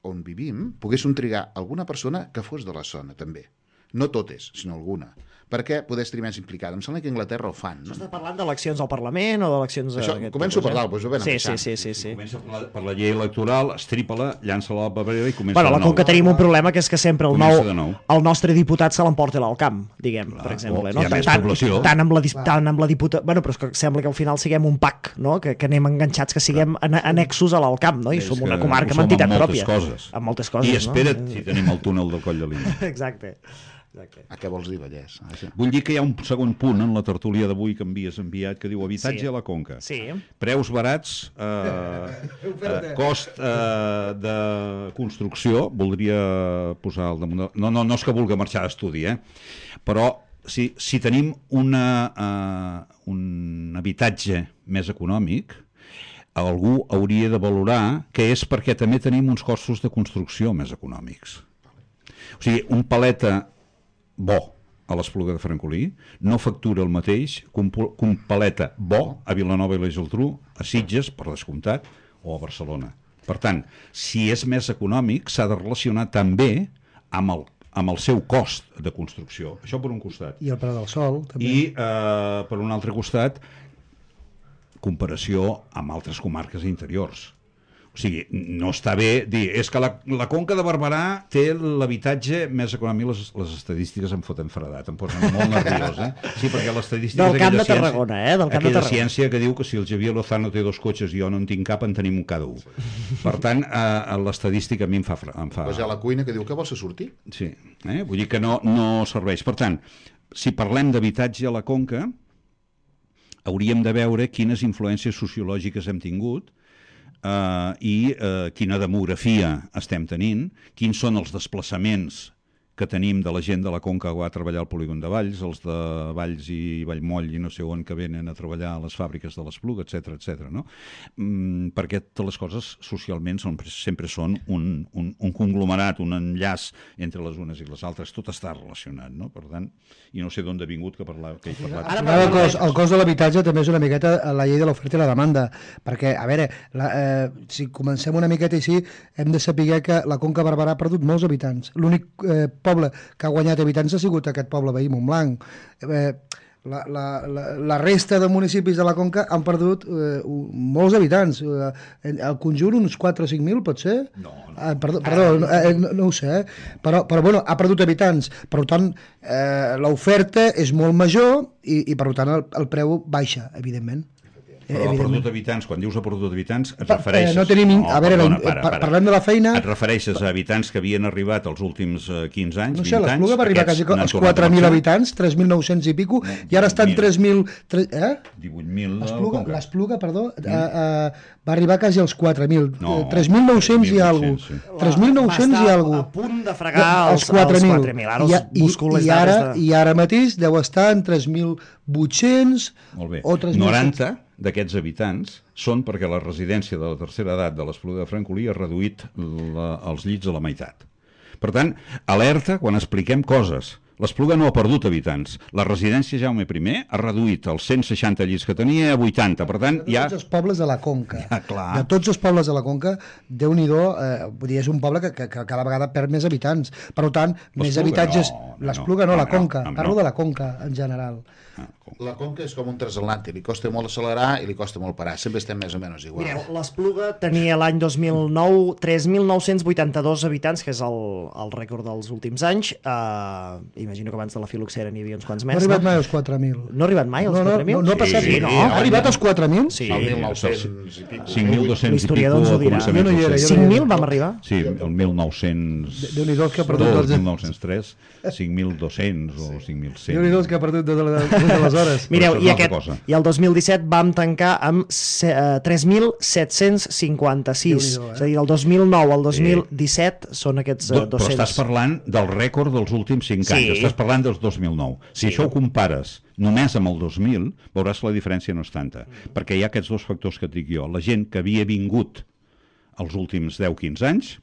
on vivim poguéssim trigar alguna persona que fos de la zona, també. No totes, sinó alguna. Perquè poder estar més implicada. Em sembla que a Anglaterra ho fan. No? Estàs parlant d'eleccions al Parlament o d'eleccions... Això, començo per dalt, doncs ho ven sí, sí, sí, sí, sí. Comença per la, per la llei electoral, estripa-la, llança-la a la paperera i comença Bueno, la de nou. Conca tenim un problema que és que sempre el, Comença nou, de nou. el nostre diputat se l'emporta al camp, diguem, Clar, per exemple. o No? hi ha més Tant, població. tant, amb la, dis- tant amb la diputa... Bueno, però és que sembla que al final siguem un pack, no? que, que anem enganxats, que siguem an annexos a l'Alcamp, no? I És som que una comarca ho amb som entitat amb moltes pròpia. coses. Amb moltes coses, I espera't no? si tenim el túnel del Coll de Lina. Exacte. Exacte. A què vols dir, Vallès? Això. Vull dir que hi ha un segon punt en la tertúlia d'avui que m'havies enviat que diu habitatge Sí. a la Conca. Sí. Preus barats, eh, eh, cost eh, de construcció, voldria posar al damunt... de- No, no, no és que vulgui marxar d'estudi, eh? Però si, si tenim una, eh, un habitatge més econòmic, algú hauria de valorar que és perquè també tenim uns costos de construcció més econòmics. O sigui, un paleta bo a l'Espluga de Francolí no factura el mateix que un, que un paleta bo a Vilanova i la Geltrú, a Sitges, per descomptat, o a Barcelona. Per tant, si és més econòmic, s'ha de relacionar també amb el, amb el seu cost de construcció. Això per un costat. I el preu del sol, també. I, eh, per un altre costat, comparació amb altres comarques interiors. O sigui, no està bé dir, és que la, la Conca de Barberà té l'habitatge més econòmic, les, les estadístiques em foten fredat, em posen molt nerviós, eh? Sí, perquè l'estadística Del és Camp aquella de Tarragona, eh? Del Camp de aquella Tarragona. ciència que diu que si el Javier Lozano té dos cotxes i jo no en tinc cap, en tenim un cada un. Per tant, eh, l'estadística a mi em fa... fre- Em fa... Pues hi ha la cuina que diu que vols sortir. Sí, eh? Vull dir que no, no serveix. Per tant, si parlem d'habitatge a la Conca, hauríem de veure quines influències sociològiques hem tingut eh, i eh, quina demografia estem tenint, quins són els desplaçaments que tenim de la gent de la Conca que va a treballar al polígon de Valls, els de Valls i Vallmoll i no sé on que venen a treballar a les fàbriques de l'Espluga, etcètera, etcètera, no? Mm, perquè totes les coses socialment són, sempre són un, un, un conglomerat, un enllaç entre les unes i les altres, tot està relacionat, no? Per tant, i no sé d'on ha vingut que, parla, que he parlat. Ara Ara, el, cost, el cost de l'habitatge també és una miqueta la llei de l'oferta i la demanda, perquè, a veure, la, eh, si comencem una miqueta així, hem de saber que la Conca Barberà ha perdut molts habitants. L'únic eh, poble que ha guanyat habitants ha sigut aquest poble veí, Montblanc. Eh, la, la, la, la resta de municipis de la Conca han perdut eh, molts habitants. Eh, el conjunt, uns quatre o cinc mil, pot ser? No, no. Eh, perdó, perdó eh, no, no ho sé, eh? però, però bueno, ha perdut habitants. Per tant, eh, l'oferta és molt major i, i per tant el, el preu baixa, evidentment. Però ha perdut habitants, quan dius ha perdut habitants, et Pa- refereixes... eh, no tenim in- a veure, perdona, la- para, pa- para. parlem de la feina- Et refereixes a habitants que havien arribat els últims eh, quinze anys, No sé, vint anys... l'Espluga va arribar aquests quasi n'han als tornat a quatre mil marxar. habitants, tres mil nou-cents i pico, No, i ara estan divuit mil. tres mil... tre- Eh? divuit mil de L'Espluga, Conca. l'Espluga, perdó, mm. eh, eh, va arribar quasi als quatre mil. No, tres mil nou-cents i alguna tres mil nou-cents, cosa. tres mil nou-cents i alguna a cosa. punt de fregar els, els quatre mil. Ara I, els i, busco les i, ara, dades de... I ara mateix deu estar en tres mil vuit-cents Molt bé. o tres mil... noranta d'aquests habitants són perquè la residència de la tercera edat de l'Espluga de Francolí ha reduït la, els llits a la meitat. Per tant, alerta quan expliquem coses. L'Espluga no ha perdut habitants. La residència Jaume I ha reduït els cent seixanta llits que tenia a vuitanta. Per tant, De ja... tots els pobles de la Conca. Ja, clar. De tots els pobles de la Conca, Déu-n'hi-do, eh, vull dir, és un poble que, que, que cada vegada perd més habitants. Per tant, més L'Espluga habitatges... no, no, L'Espluga no, no, la no, Conca. no, no. Parlo de la Conca, en general. La Conca és com un transatlàntic, li costa molt accelerar i li costa molt parar. Sempre estem més o menys igual. Mireu, l'Espluga tenia l'any dos mil nou tres mil nou-cents vuitanta-dos habitants, que és el, el rècord dels últims anys. Uh, imagino que abans de la filoxera n'hi havia uns quants No més. ha arribat no? mai als quatre mil. No ha arribat mai als No, no, quatre mil? no, no ha passat. Sí, no. Ha arribat als quatre mil? Sí. El mil nou-cents i pico. cinc mil dos-cents i L'historiador ens ho pico dirà. començaments Jo no hi era, del jo segle. cinc no hi mil era. vam arribar? Sí, el mil nou-cents Déu-n'hi-do els que ha perdut dos, dels- mil nou-cents tres, cinc mil dos-cents o cinc mil cent. Déu-n'hi-do els que ha perdut des de- des d'aleshores. Mireu, això és i, una altra aquest, cosa. i el dos mil disset vam tancar amb se- eh, tres mil set-cents cinquanta-sis. Déu-n'hi-do, eh? És a dir, del dos mil nou al dos mil disset són aquests eh, Do, però dos-cents. estàs parlant del rècord dels últims cinc Sí. anys, estàs parlant dels dos mil nou. Si Sí. això ho compares només amb el dos mil, veuràs que la diferència no és tanta, Mm. perquè hi ha aquests dos factors que et dic jo. La gent que havia vingut els últims deu quinze anys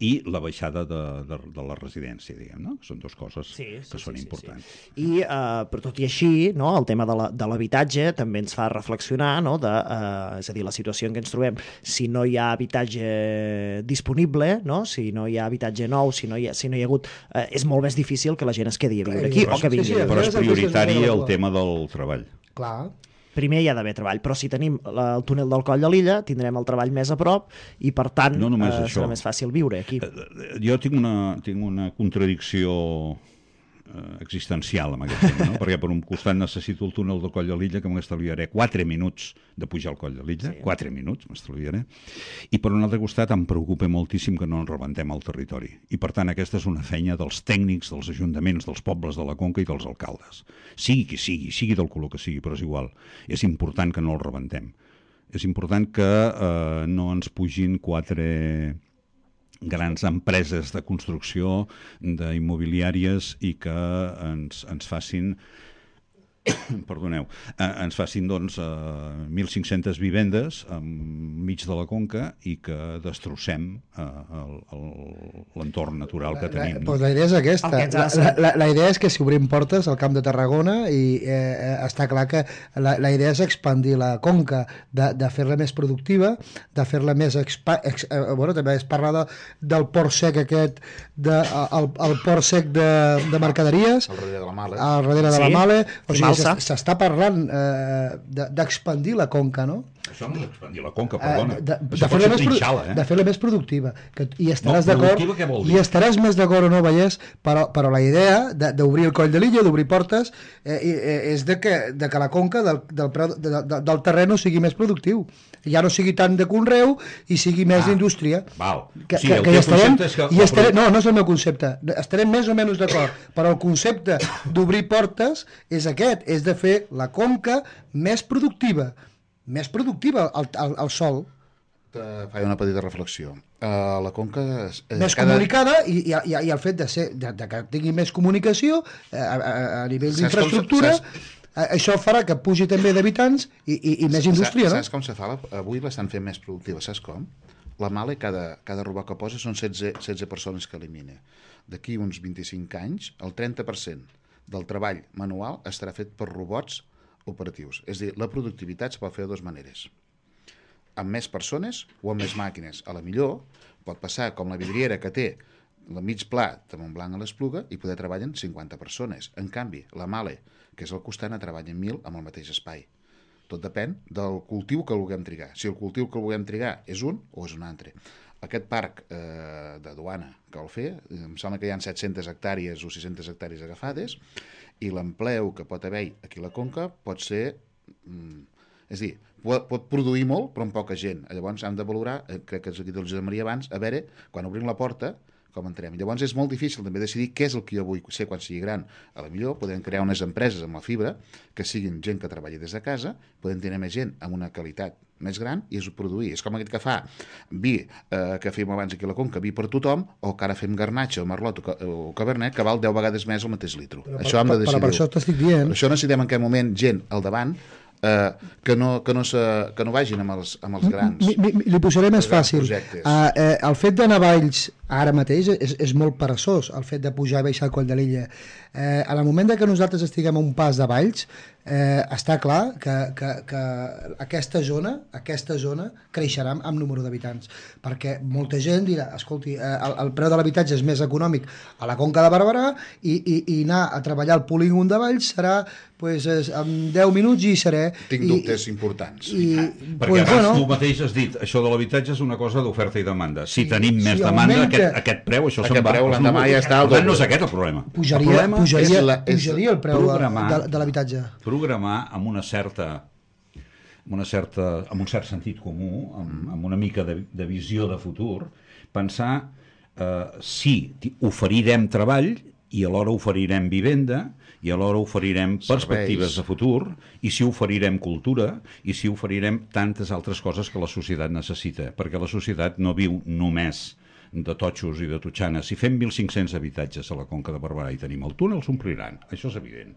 i la baixada de, de, de la residència, diguem, no? Són dues coses sí, sí, que són sí, sí, importants. Sí. I, eh, però tot i així, no, el tema de l'habitatge també ens fa reflexionar, no, de, eh, és a dir, la situació en què ens trobem, si no hi ha habitatge disponible, no, si no hi ha habitatge nou, si no hi ha, si no hi ha hagut... Eh, és molt més difícil que la gent es quedi a viure aquí, Però, o que vingui. sí, sí, Però és és el prioritari que el tema del treball. Clar. Primer hi ha d'haver treball, però si tenim la, el túnel del Coll de l'Illa, tindrem el treball més a prop i, per tant, no només eh, això. serà més fàcil viure aquí. Jo tinc una, tinc una contradicció eh, existencial amb aquest tema, no? Perquè per un costat necessito el túnel del Coll de l'Illa, que m'estalviaré quatre minuts de pujar al Coll de l'Illa, sí. quatre minuts m'estalviaré, i per un altre costat em preocupa moltíssim que no ens rebentem el territori. I per tant aquesta és una feina dels tècnics, dels ajuntaments, dels pobles de la Conca i dels alcaldes. Sigui qui sigui, sigui del color que sigui, però és igual. És important que no el rebentem. És important que eh, no ens pugin quatre grans empreses de construcció, d'immobiliàries, i que ens, ens facin perdoneu, eh, ens facin doncs eh, mil cinc-centes vivendes enmig de la Conca i que destrossem eh, l'entorn natural que tenim. La, no? Pues la idea és aquesta. La, la, la, la idea és que si obrim portes al Camp de Tarragona i eh, està clar que la, la idea és expandir la Conca, de, de fer-la més productiva, de fer-la més... Expa, ex, eh, bueno, també es parla de, del port sec aquest, de, el, el port sec de, de mercaderies, al darrere de la Male. Al darrere de sí. la Male. O sigui, s'està parlant eh, d'expandir de, la Conca, no? Això no és expandir la Conca, perdona. Eh, de, Això de pot ser més, trinxala, eh? De fer-la més productiva. Que, I estaràs no, d'acord, i estaràs més d'acord o no, Vallès, però, però la idea d'obrir el Coll de l'Illa, d'obrir portes, eh, eh, és de que, de que la Conca del, del, preu, de, de, del terreno sigui més productiu. Ja no sigui tant de conreu i sigui més ah, d'indústria. Val. Que, sí, que, el que teu estarem, concepte és que... I estarem, no, no és el meu concepte. Estarem més o menys d'acord, però el concepte d'obrir portes és aquest, és de fer la Conca més productiva. Més productiva al, al, al sol. Faig una petita reflexió. Uh, la Conca... És, més cada... comunicada i, i, i, i el fet de, ser, de, de que tingui més comunicació eh, a, a, a nivell d'infraestructura... Això farà que pugi també d'habitants i, i, i més indústria, saps, no? Saps com se fa? Avui l'estan fent més productiva, saps com? La Male, cada, cada robot que posa són setze, setze persones que elimina. D'aquí uns vint-i-cinc anys, el trenta per cent del treball manual estarà fet per robots operatius. És a dir, la productivitat es pot fer de dues maneres. Amb més persones o amb més màquines. A la millor pot passar com la vidriera que té el mig pla de Montblanc a l'Espluga i poder treballar en cinquanta persones. En canvi, la Male, que és al costat, a treballar en mil amb el mateix espai. Tot depèn del cultiu que vulguem trigar. Si el cultiu que vulguem trigar és un o és un altre. Aquest parc eh, de Duana que vol fer, em sembla que hi ha set-centes hectàrees o sis-centes hectàrees agafades, i l'empleu que pot haver aquí a la Conca pot ser... Mm, és a dir, pot, pot produir molt, però amb poca gent. Llavors hem de valorar, eh, crec que és aquí del Josep Maria abans, a veure, quan obrim la porta, com entrem. Llavors és molt difícil també decidir què és el que jo vull ser quan sigui gran. A la millor podem crear unes empreses amb la fibra que siguin gent que treballi des de casa, podem tenir més gent amb una qualitat més gran i és produir. És com aquest que fa vi, eh, que fèiem abans aquí a la Conca, vi per tothom, o que ara fem garnatxa o merlot o, o cabernet, que val deu vegades més el mateix litro. Però, això hem de decidir. Però per això t'estic dient. Per això necessitem en aquest moment gent al davant Uh, que, no, que, no se, que no vagin amb els, amb els grans. Mi, mi, li posaré més fàcil. Uh, eh, el fet d'anar a Valls ara mateix és, és molt peresós, el fet de pujar i baixar el Coll de l'Illa. Eh, en el moment que nosaltres estiguem a un pas de Valls, eh, està clar que, que, que aquesta zona aquesta zona creixerà amb número d'habitants, perquè molta gent dirà, escolti, eh, el, el preu de l'habitatge és més econòmic a la Conca de Barberà i, i, i anar a treballar al polígon de Valls serà pues, en deu minuts i seré... Tinc i, dubtes importants. I, perquè pues, abans bueno, tu mateix has dit, això de l'habitatge és una cosa d'oferta i demanda. Si sí, tenim més si demanda, augmenta, aquest, aquest preu, això se'n va. Preu, l'endemà ja està el doble. No és aquest el problema. Pujaria, el problema pujaria, és la, és pujaria el preu de, de l'habitatge. Programar amb una certa... Amb, una certa, amb un cert sentit comú, amb, amb una mica de, de visió de futur, pensar eh, si oferirem treball i alhora oferirem vivenda i alhora oferirem perspectives de futur i si oferirem cultura i si oferirem tantes altres coses que la societat necessita, perquè la societat no viu només de totxos i de totxanes. Si fem mil cinc-cents habitatges a la Conca de Barberà i tenim el túnel, s'ompliran. Això és evident.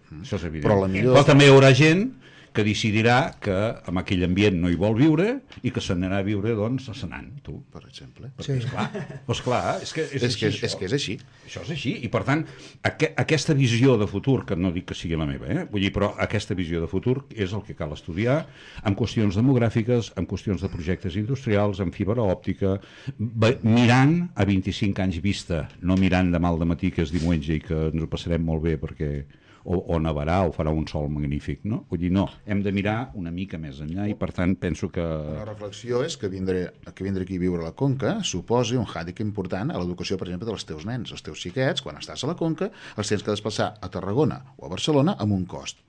Mm. Això és evident. Però, la millor... Però també hi haurà gent que decidirà que en aquell ambient no hi vol viure i que se n'anirà a viure, doncs, a Senan, tu. Per exemple. Sí. Esclar, esclar, és que és, És així, que, és, això. és que és així. Això és així, i per tant, aqu aquesta visió de futur, que no dic que sigui la meva, eh? Vull dir, però aquesta visió de futur és el que cal estudiar en qüestions demogràfiques, en qüestions de projectes industrials, en fibra òptica, mirant a vint-i-cinc anys vista, no mirant demà al dematí, que és diumenge i que ens ho passarem molt bé perquè o, o nevarà o farà un sol magnífic, no? Vull dir, no, hem de mirar una mica més enllà i per tant penso que... Una reflexió és que vindre, que vindre aquí a viure a la Conca suposi un hàndicap important a l'educació, per exemple, dels teus nens. Els teus xiquets, quan estàs a la Conca, els tens que desplaçar a Tarragona o a Barcelona amb un cost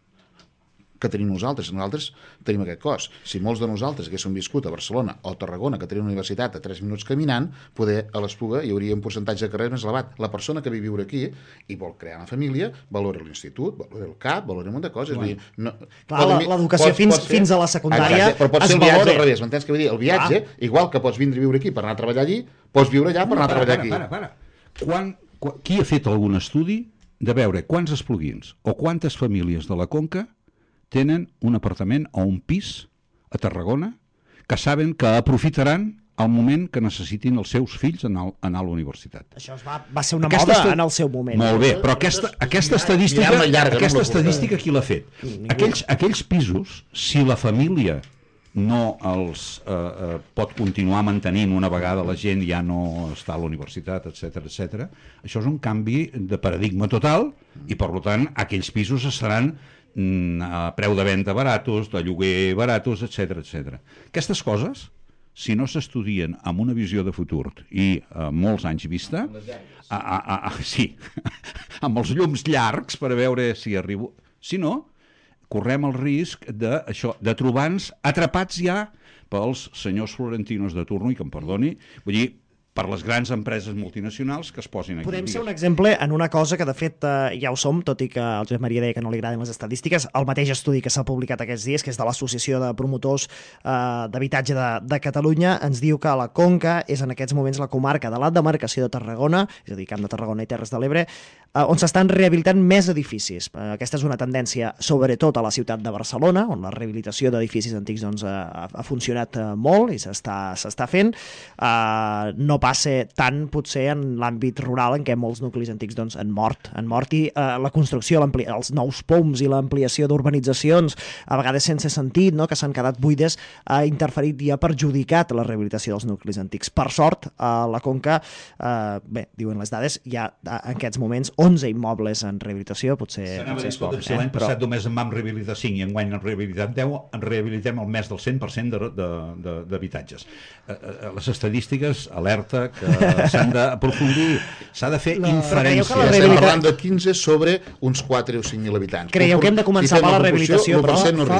que tenim nosaltres. Nosaltres tenim aquest cost. Si molts de nosaltres haguéssim viscut a Barcelona o a Tarragona, que tenim una universitat a tres minuts caminant, poder a l'Espluga hi hauria un percentatge de carrers més elevat. La persona que ve a viure aquí i vol crear una família, valora l'institut, valora el C A P, valora un munt de coses. Bueno. No, Clar, l'educació fins, ser, fins a la secundària exacte, però pot ser el viatge al revés, m'entens què vull dir? El viatge, ah. igual que pots vindre a viure aquí per anar a treballar allí, pots viure allà per anar a treballar aquí. Para, para, para. Quan, quan, qui ha fet algun estudi de veure quants espluguins o quantes famílies de la Conca tenen un apartament o un pis a Tarragona que saben que aprofitaran al moment que necessitin els seus fills anar, anar a la universitat. Això es va, va ser una aquesta moda en el seu moment. Molt bé, però aquesta, aquesta estadística, llarga, aquesta no estadística qui l'ha fet? Aquells, aquells pisos, si la família no els eh, eh, pot continuar mantenint una vegada la gent ja no està a la universitat, etcètera, etcètera, això és un canvi de paradigma total i, per tant, aquells pisos estaran a preu de venda baratos, de lloguer baratos, etcètera, etcètera. Aquestes coses, si no s'estudien amb una visió de futur i a molts anys vista, a, a, a, a, sí, amb els llums llargs per a veure si arribo... Si no, correm el risc de, això, de trobar-nos atrapats ja pels senyors florentinos de turno, i que em perdoni, vull dir, per les grans empreses multinacionals que es posin aquí. Podem ser un exemple en una cosa que de fet eh, ja ho som, tot i que el Josep Maria deia que no li agraden les estadístiques. El mateix estudi que s'ha publicat aquests dies, que és de l'Associació de Promotors eh, d'Habitatge de, de Catalunya, ens diu que la Conca és en aquests moments la comarca de la demarcació de Tarragona, és a dir, Camp de Tarragona i Terres de l'Ebre, eh, on s'estan rehabilitant més edificis. Eh, aquesta és una tendència sobretot a la ciutat de Barcelona, on la rehabilitació d'edificis antics doncs, ha, ha funcionat eh, molt i s'està s'està fent. Eh, no passa tant potser en l'àmbit rural en què molts nuclis antics doncs, han mort, han mort i eh, la construcció, els nous poms i l'ampliació d'urbanitzacions, a vegades sense sentit, no? que s'han quedat buides, ha interferit i ha perjudicat la rehabilitació dels nuclis antics. Per sort, a la Conca, eh, bé, diuen les dades, hi ha en aquests moments onze immobles en rehabilitació, potser, potser és poc. Si l'any passat però... només en vam rehabilitar cinc i enguany en rehabilitat deu, en rehabilitem el més del cent per cent d'habitatges. Eh, eh, les estadístiques alerta que s'han d'aprofundir, s'ha de fer la... inferències. Ja estem parlant de quinze sobre uns quatre o cinc mil habitants. Creieu que hem de començar si per la rehabilitació? Però no fa,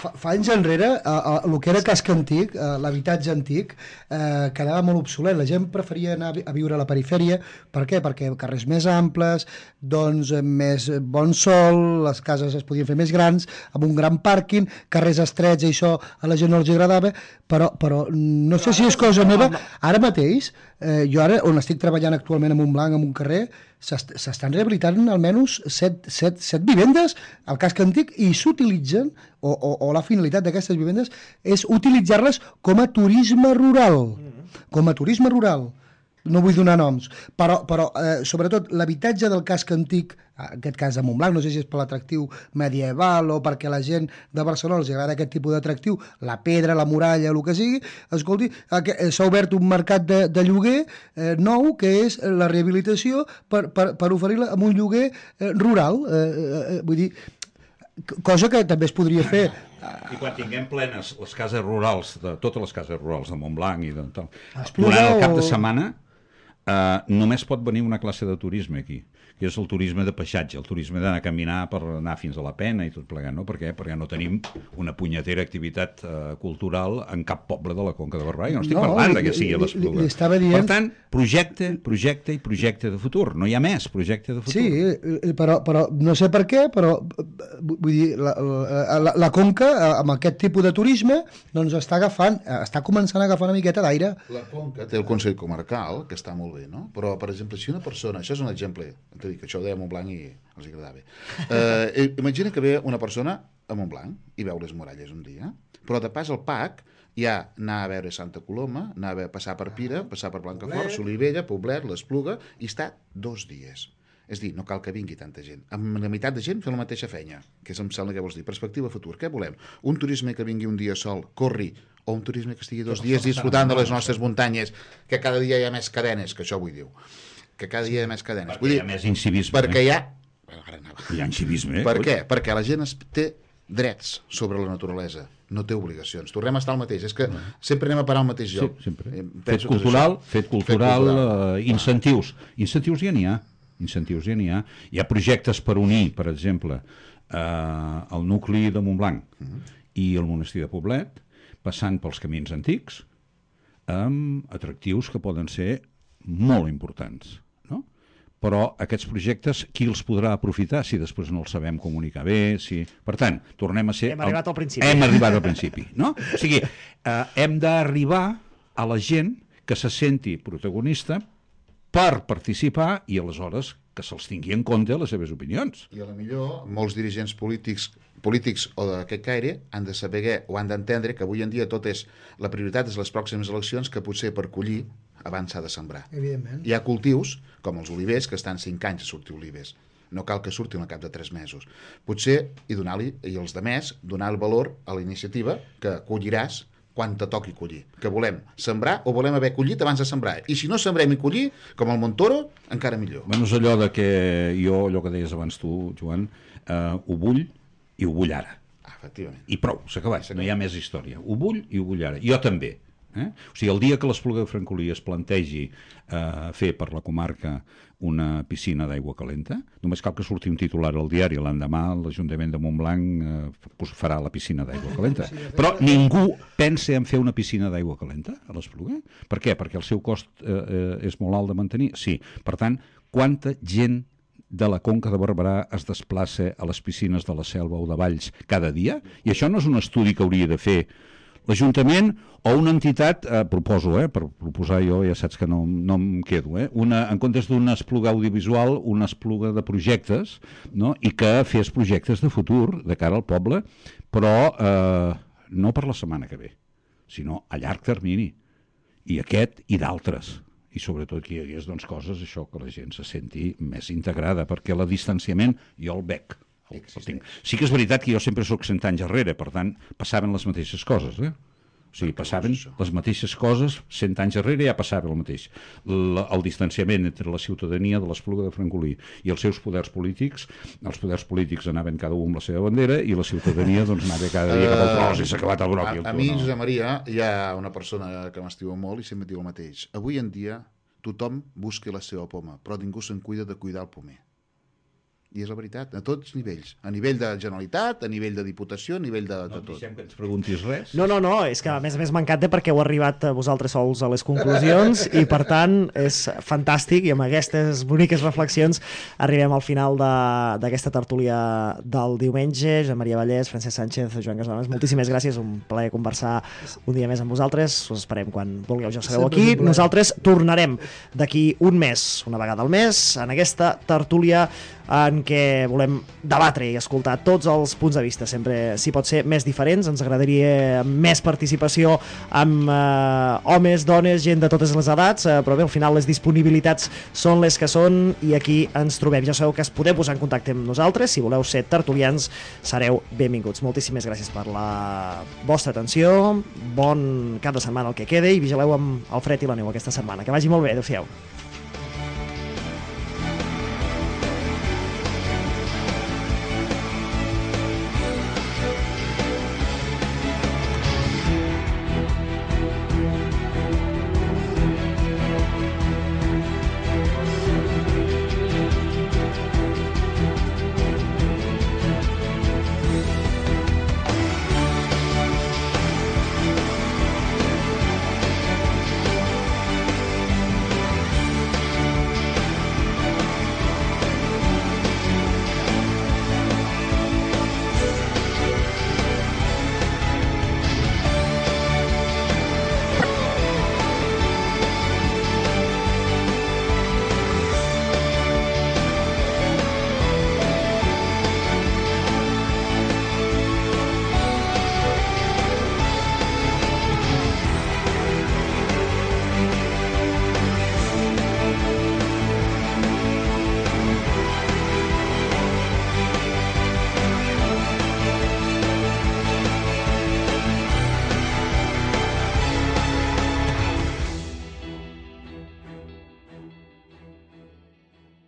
fa, fa anys enrere, el que era casc antic, l'habitatge antic, eh, quedava molt obsolet. La gent preferia anar a viure a la perifèria. Per què? Perquè carrers més amples, doncs més bon sol, les cases es podien fer més grans, amb un gran pàrquing, carrers estrets, i això a la gent no els agradava, però, però no sé si és cosa meva. Ara mateix, eh, jo ara, on estic treballant actualment a Montblanc, en un carrer, s'estan rehabilitant almenys set, set, set vivendes al casc antic i s'utilitzen, o, o, o la finalitat d'aquestes vivendes és utilitzar-les com a turisme rural. Com a turisme rural. No vull donar noms, però, però eh, sobretot l'habitatge del casc antic, en aquest cas de Montblanc, no sé si és per l'atractiu medieval o perquè la gent de Barcelona els agrada aquest tipus d'atractiu, la pedra, la muralla, el que sigui, escolti, s'ha obert un mercat de, de lloguer eh, nou, que és la rehabilitació per, per, per oferir-la amb un lloguer eh, rural, eh, eh, vull dir, cosa que també es podria fer. I quan tinguem plenes les cases rurals, de totes les cases rurals de Montblanc i de tal, durant el cap de setmana Uh, només pot venir una classe de turisme aquí, que és el turisme de paisatge, el turisme d'anar a caminar per anar fins a la Pena i tot plegat, no? Per què? Perquè no tenim una punyetera activitat uh, cultural en cap poble de la Conca de Barberà. Jo no estic no, parlant li, que sigui a l'Espluga. Dient... Per tant, projecte, projecte i projecte de futur. No hi ha més projecte de futur. Sí, però, però no sé per què, però vull dir, la, la, la, la Conca, amb aquest tipus de turisme, doncs està agafant, està començant a agafar una miqueta d'aire. La Conca té el Consell Comarcal, que està molt bé, molt bé, no? Però, per exemple, si una persona... Això és un exemple, t'he dit que això ho deia a Montblanc i els agradava. Eh, imagina que ve una persona a Montblanc i veu les muralles un dia, però de pas al P A C ja anar a veure Santa Coloma, anar a passar per Pira, passar per Blancafort, Solivella, Poblet, l'Espluga, i està dos dies. És dir, no cal que vingui tanta gent. Amb la meitat de gent fer la mateixa feina, que és, em sembla que vols dir. Perspectiva futur. Què volem? Un turisme que vingui un dia sol, corri, o un turisme que estigui dos dies disfrutant de les nostres muntanyes, que cada dia hi ha més cadenes, que això vull dir. Que cada dia hi ha més cadenes. Perquè vull hi ha dir, més incivisme. Perquè eh? hi ha... Ara anava. Hi ha incivisme, eh? Per què? Perquè la gent es té drets sobre la naturalesa, no té obligacions. Tornem a estar al mateix. És que sempre anem a parar al mateix Sí, lloc. sempre. Eh, Fet penso que és cultural, això. fet cultural, Fet cultural. eh, incentius. Incentius ja n'hi ha. Incentius ja n'hi ha. Hi ha projectes per unir, per exemple, eh, el nucli de Montblanc i el monestir de Poblet, passant pels camins antics, amb atractius que poden ser molt importants, no? Però aquests projectes, qui els podrà aprofitar si després no els sabem comunicar bé? Si... Per tant, tornem a ser... Hem arribat al principi. Hem arribat al principi, no? O sigui, eh, hem d'arribar a la gent que se senti protagonista per participar i aleshores que se'ls tingui en compte les seves opinions. I a la millor molts dirigents polítics polítics o d'aquest caire han de saber o han d'entendre que avui en dia tot és la prioritat és les pròximes eleccions, que potser per collir abans s'ha de sembrar. Evidentment. Hi ha cultius, com els olivers, que estan cinc anys a sortir olivers. No cal que surtin al cap de tres mesos. Potser, i donar-li, i els de més, donar el valor a la iniciativa que colliràs quan te toqui collir. Que volem sembrar o volem haver collit abans de sembrar. I si no sembrem i collir, com el Montoro, encara millor. Bueno, és allò de que jo, allò que deies abans tu, Joan, eh, ho vull i ho vull ara. Ah, efectivament. I prou, s'ha acabat, no hi ha més història. Ho vull i ho vull ara. Jo també. Eh? O sigui, el dia que l'Espluga de Francolí es plantegi eh, fer per la comarca una piscina d'aigua calenta, només cal que surti un titular al diari, l'endemà l'Ajuntament de Montblanc eh, farà la piscina d'aigua calenta. Però ningú pensa en fer una piscina d'aigua calenta a l'Espluga. Per què? Perquè el seu cost eh, eh, és molt alt de mantenir? Sí. Per tant, quanta gent de la Conca de Barberà es desplaça a les piscines de la Selva o de Valls cada dia? I això no és un estudi que hauria de fer l'Ajuntament o una entitat, eh, proposo, eh, per proposar jo, ja saps que no, no em quedo, eh, una, en comptes d'una espluga audiovisual, una espluga de projectes, no? I que fes projectes de futur de cara al poble, però eh, no per la setmana que ve, sinó a llarg termini. I aquest i d'altres. I sobretot que hi hagués doncs, coses, això, que la gent se senti més integrada, perquè el distanciament jo el veig. El, el tinc. Sí que és veritat que jo sempre soc cent anys enrere, per tant, passaven les mateixes coses, eh? O sigui, passaven les mateixes coses, cent anys enrere ja passava el mateix. El, el distanciament entre la ciutadania de l'Espluga de Francolí i els seus poders polítics, els poders polítics anaven cada un amb la seva bandera i la ciutadania doncs, anava cada dia cap al tros i s'ha acabat el groc. A, a mi, Josep Maria, hi ha una persona que m'estima molt i sempre diu el mateix. Avui en dia tothom busca la seva poma, però ningú se'n cuida de cuidar el pomer. I és la veritat, a tots nivells. A nivell de Generalitat, a nivell de Diputació, a nivell de, de No tot. deixem que ens preguntis res. No, no, no, és que a més a més m'encanta perquè heu arribat vosaltres sols a les conclusions i per tant és fantàstic i amb aquestes boniques reflexions arribem al final d'aquesta tertúlia del diumenge. Joan Maria Vallès, Francesc Sánchez, Joan Casadones, moltíssimes gràcies, un plaer conversar un dia més amb vosaltres, us esperem quan vulgueu, ja sereu aquí. Nosaltres tornarem d'aquí un mes, una vegada al mes, en aquesta tertúlia en què volem debatre i escoltar tots els punts de vista, sempre, si pot ser, més diferents. Ens agradaria més participació amb eh, homes, dones, gent de totes les edats, eh, però bé, al final les disponibilitats són les que són i aquí ens trobem. Ja sabeu que es podeu posar en contacte amb nosaltres, si voleu ser tertulians sereu benvinguts. Moltíssimes gràcies per la vostra atenció, bon cap de setmana el que quede i vigileu amb el fred i la neu aquesta setmana. Que vagi molt bé, adéu-siau.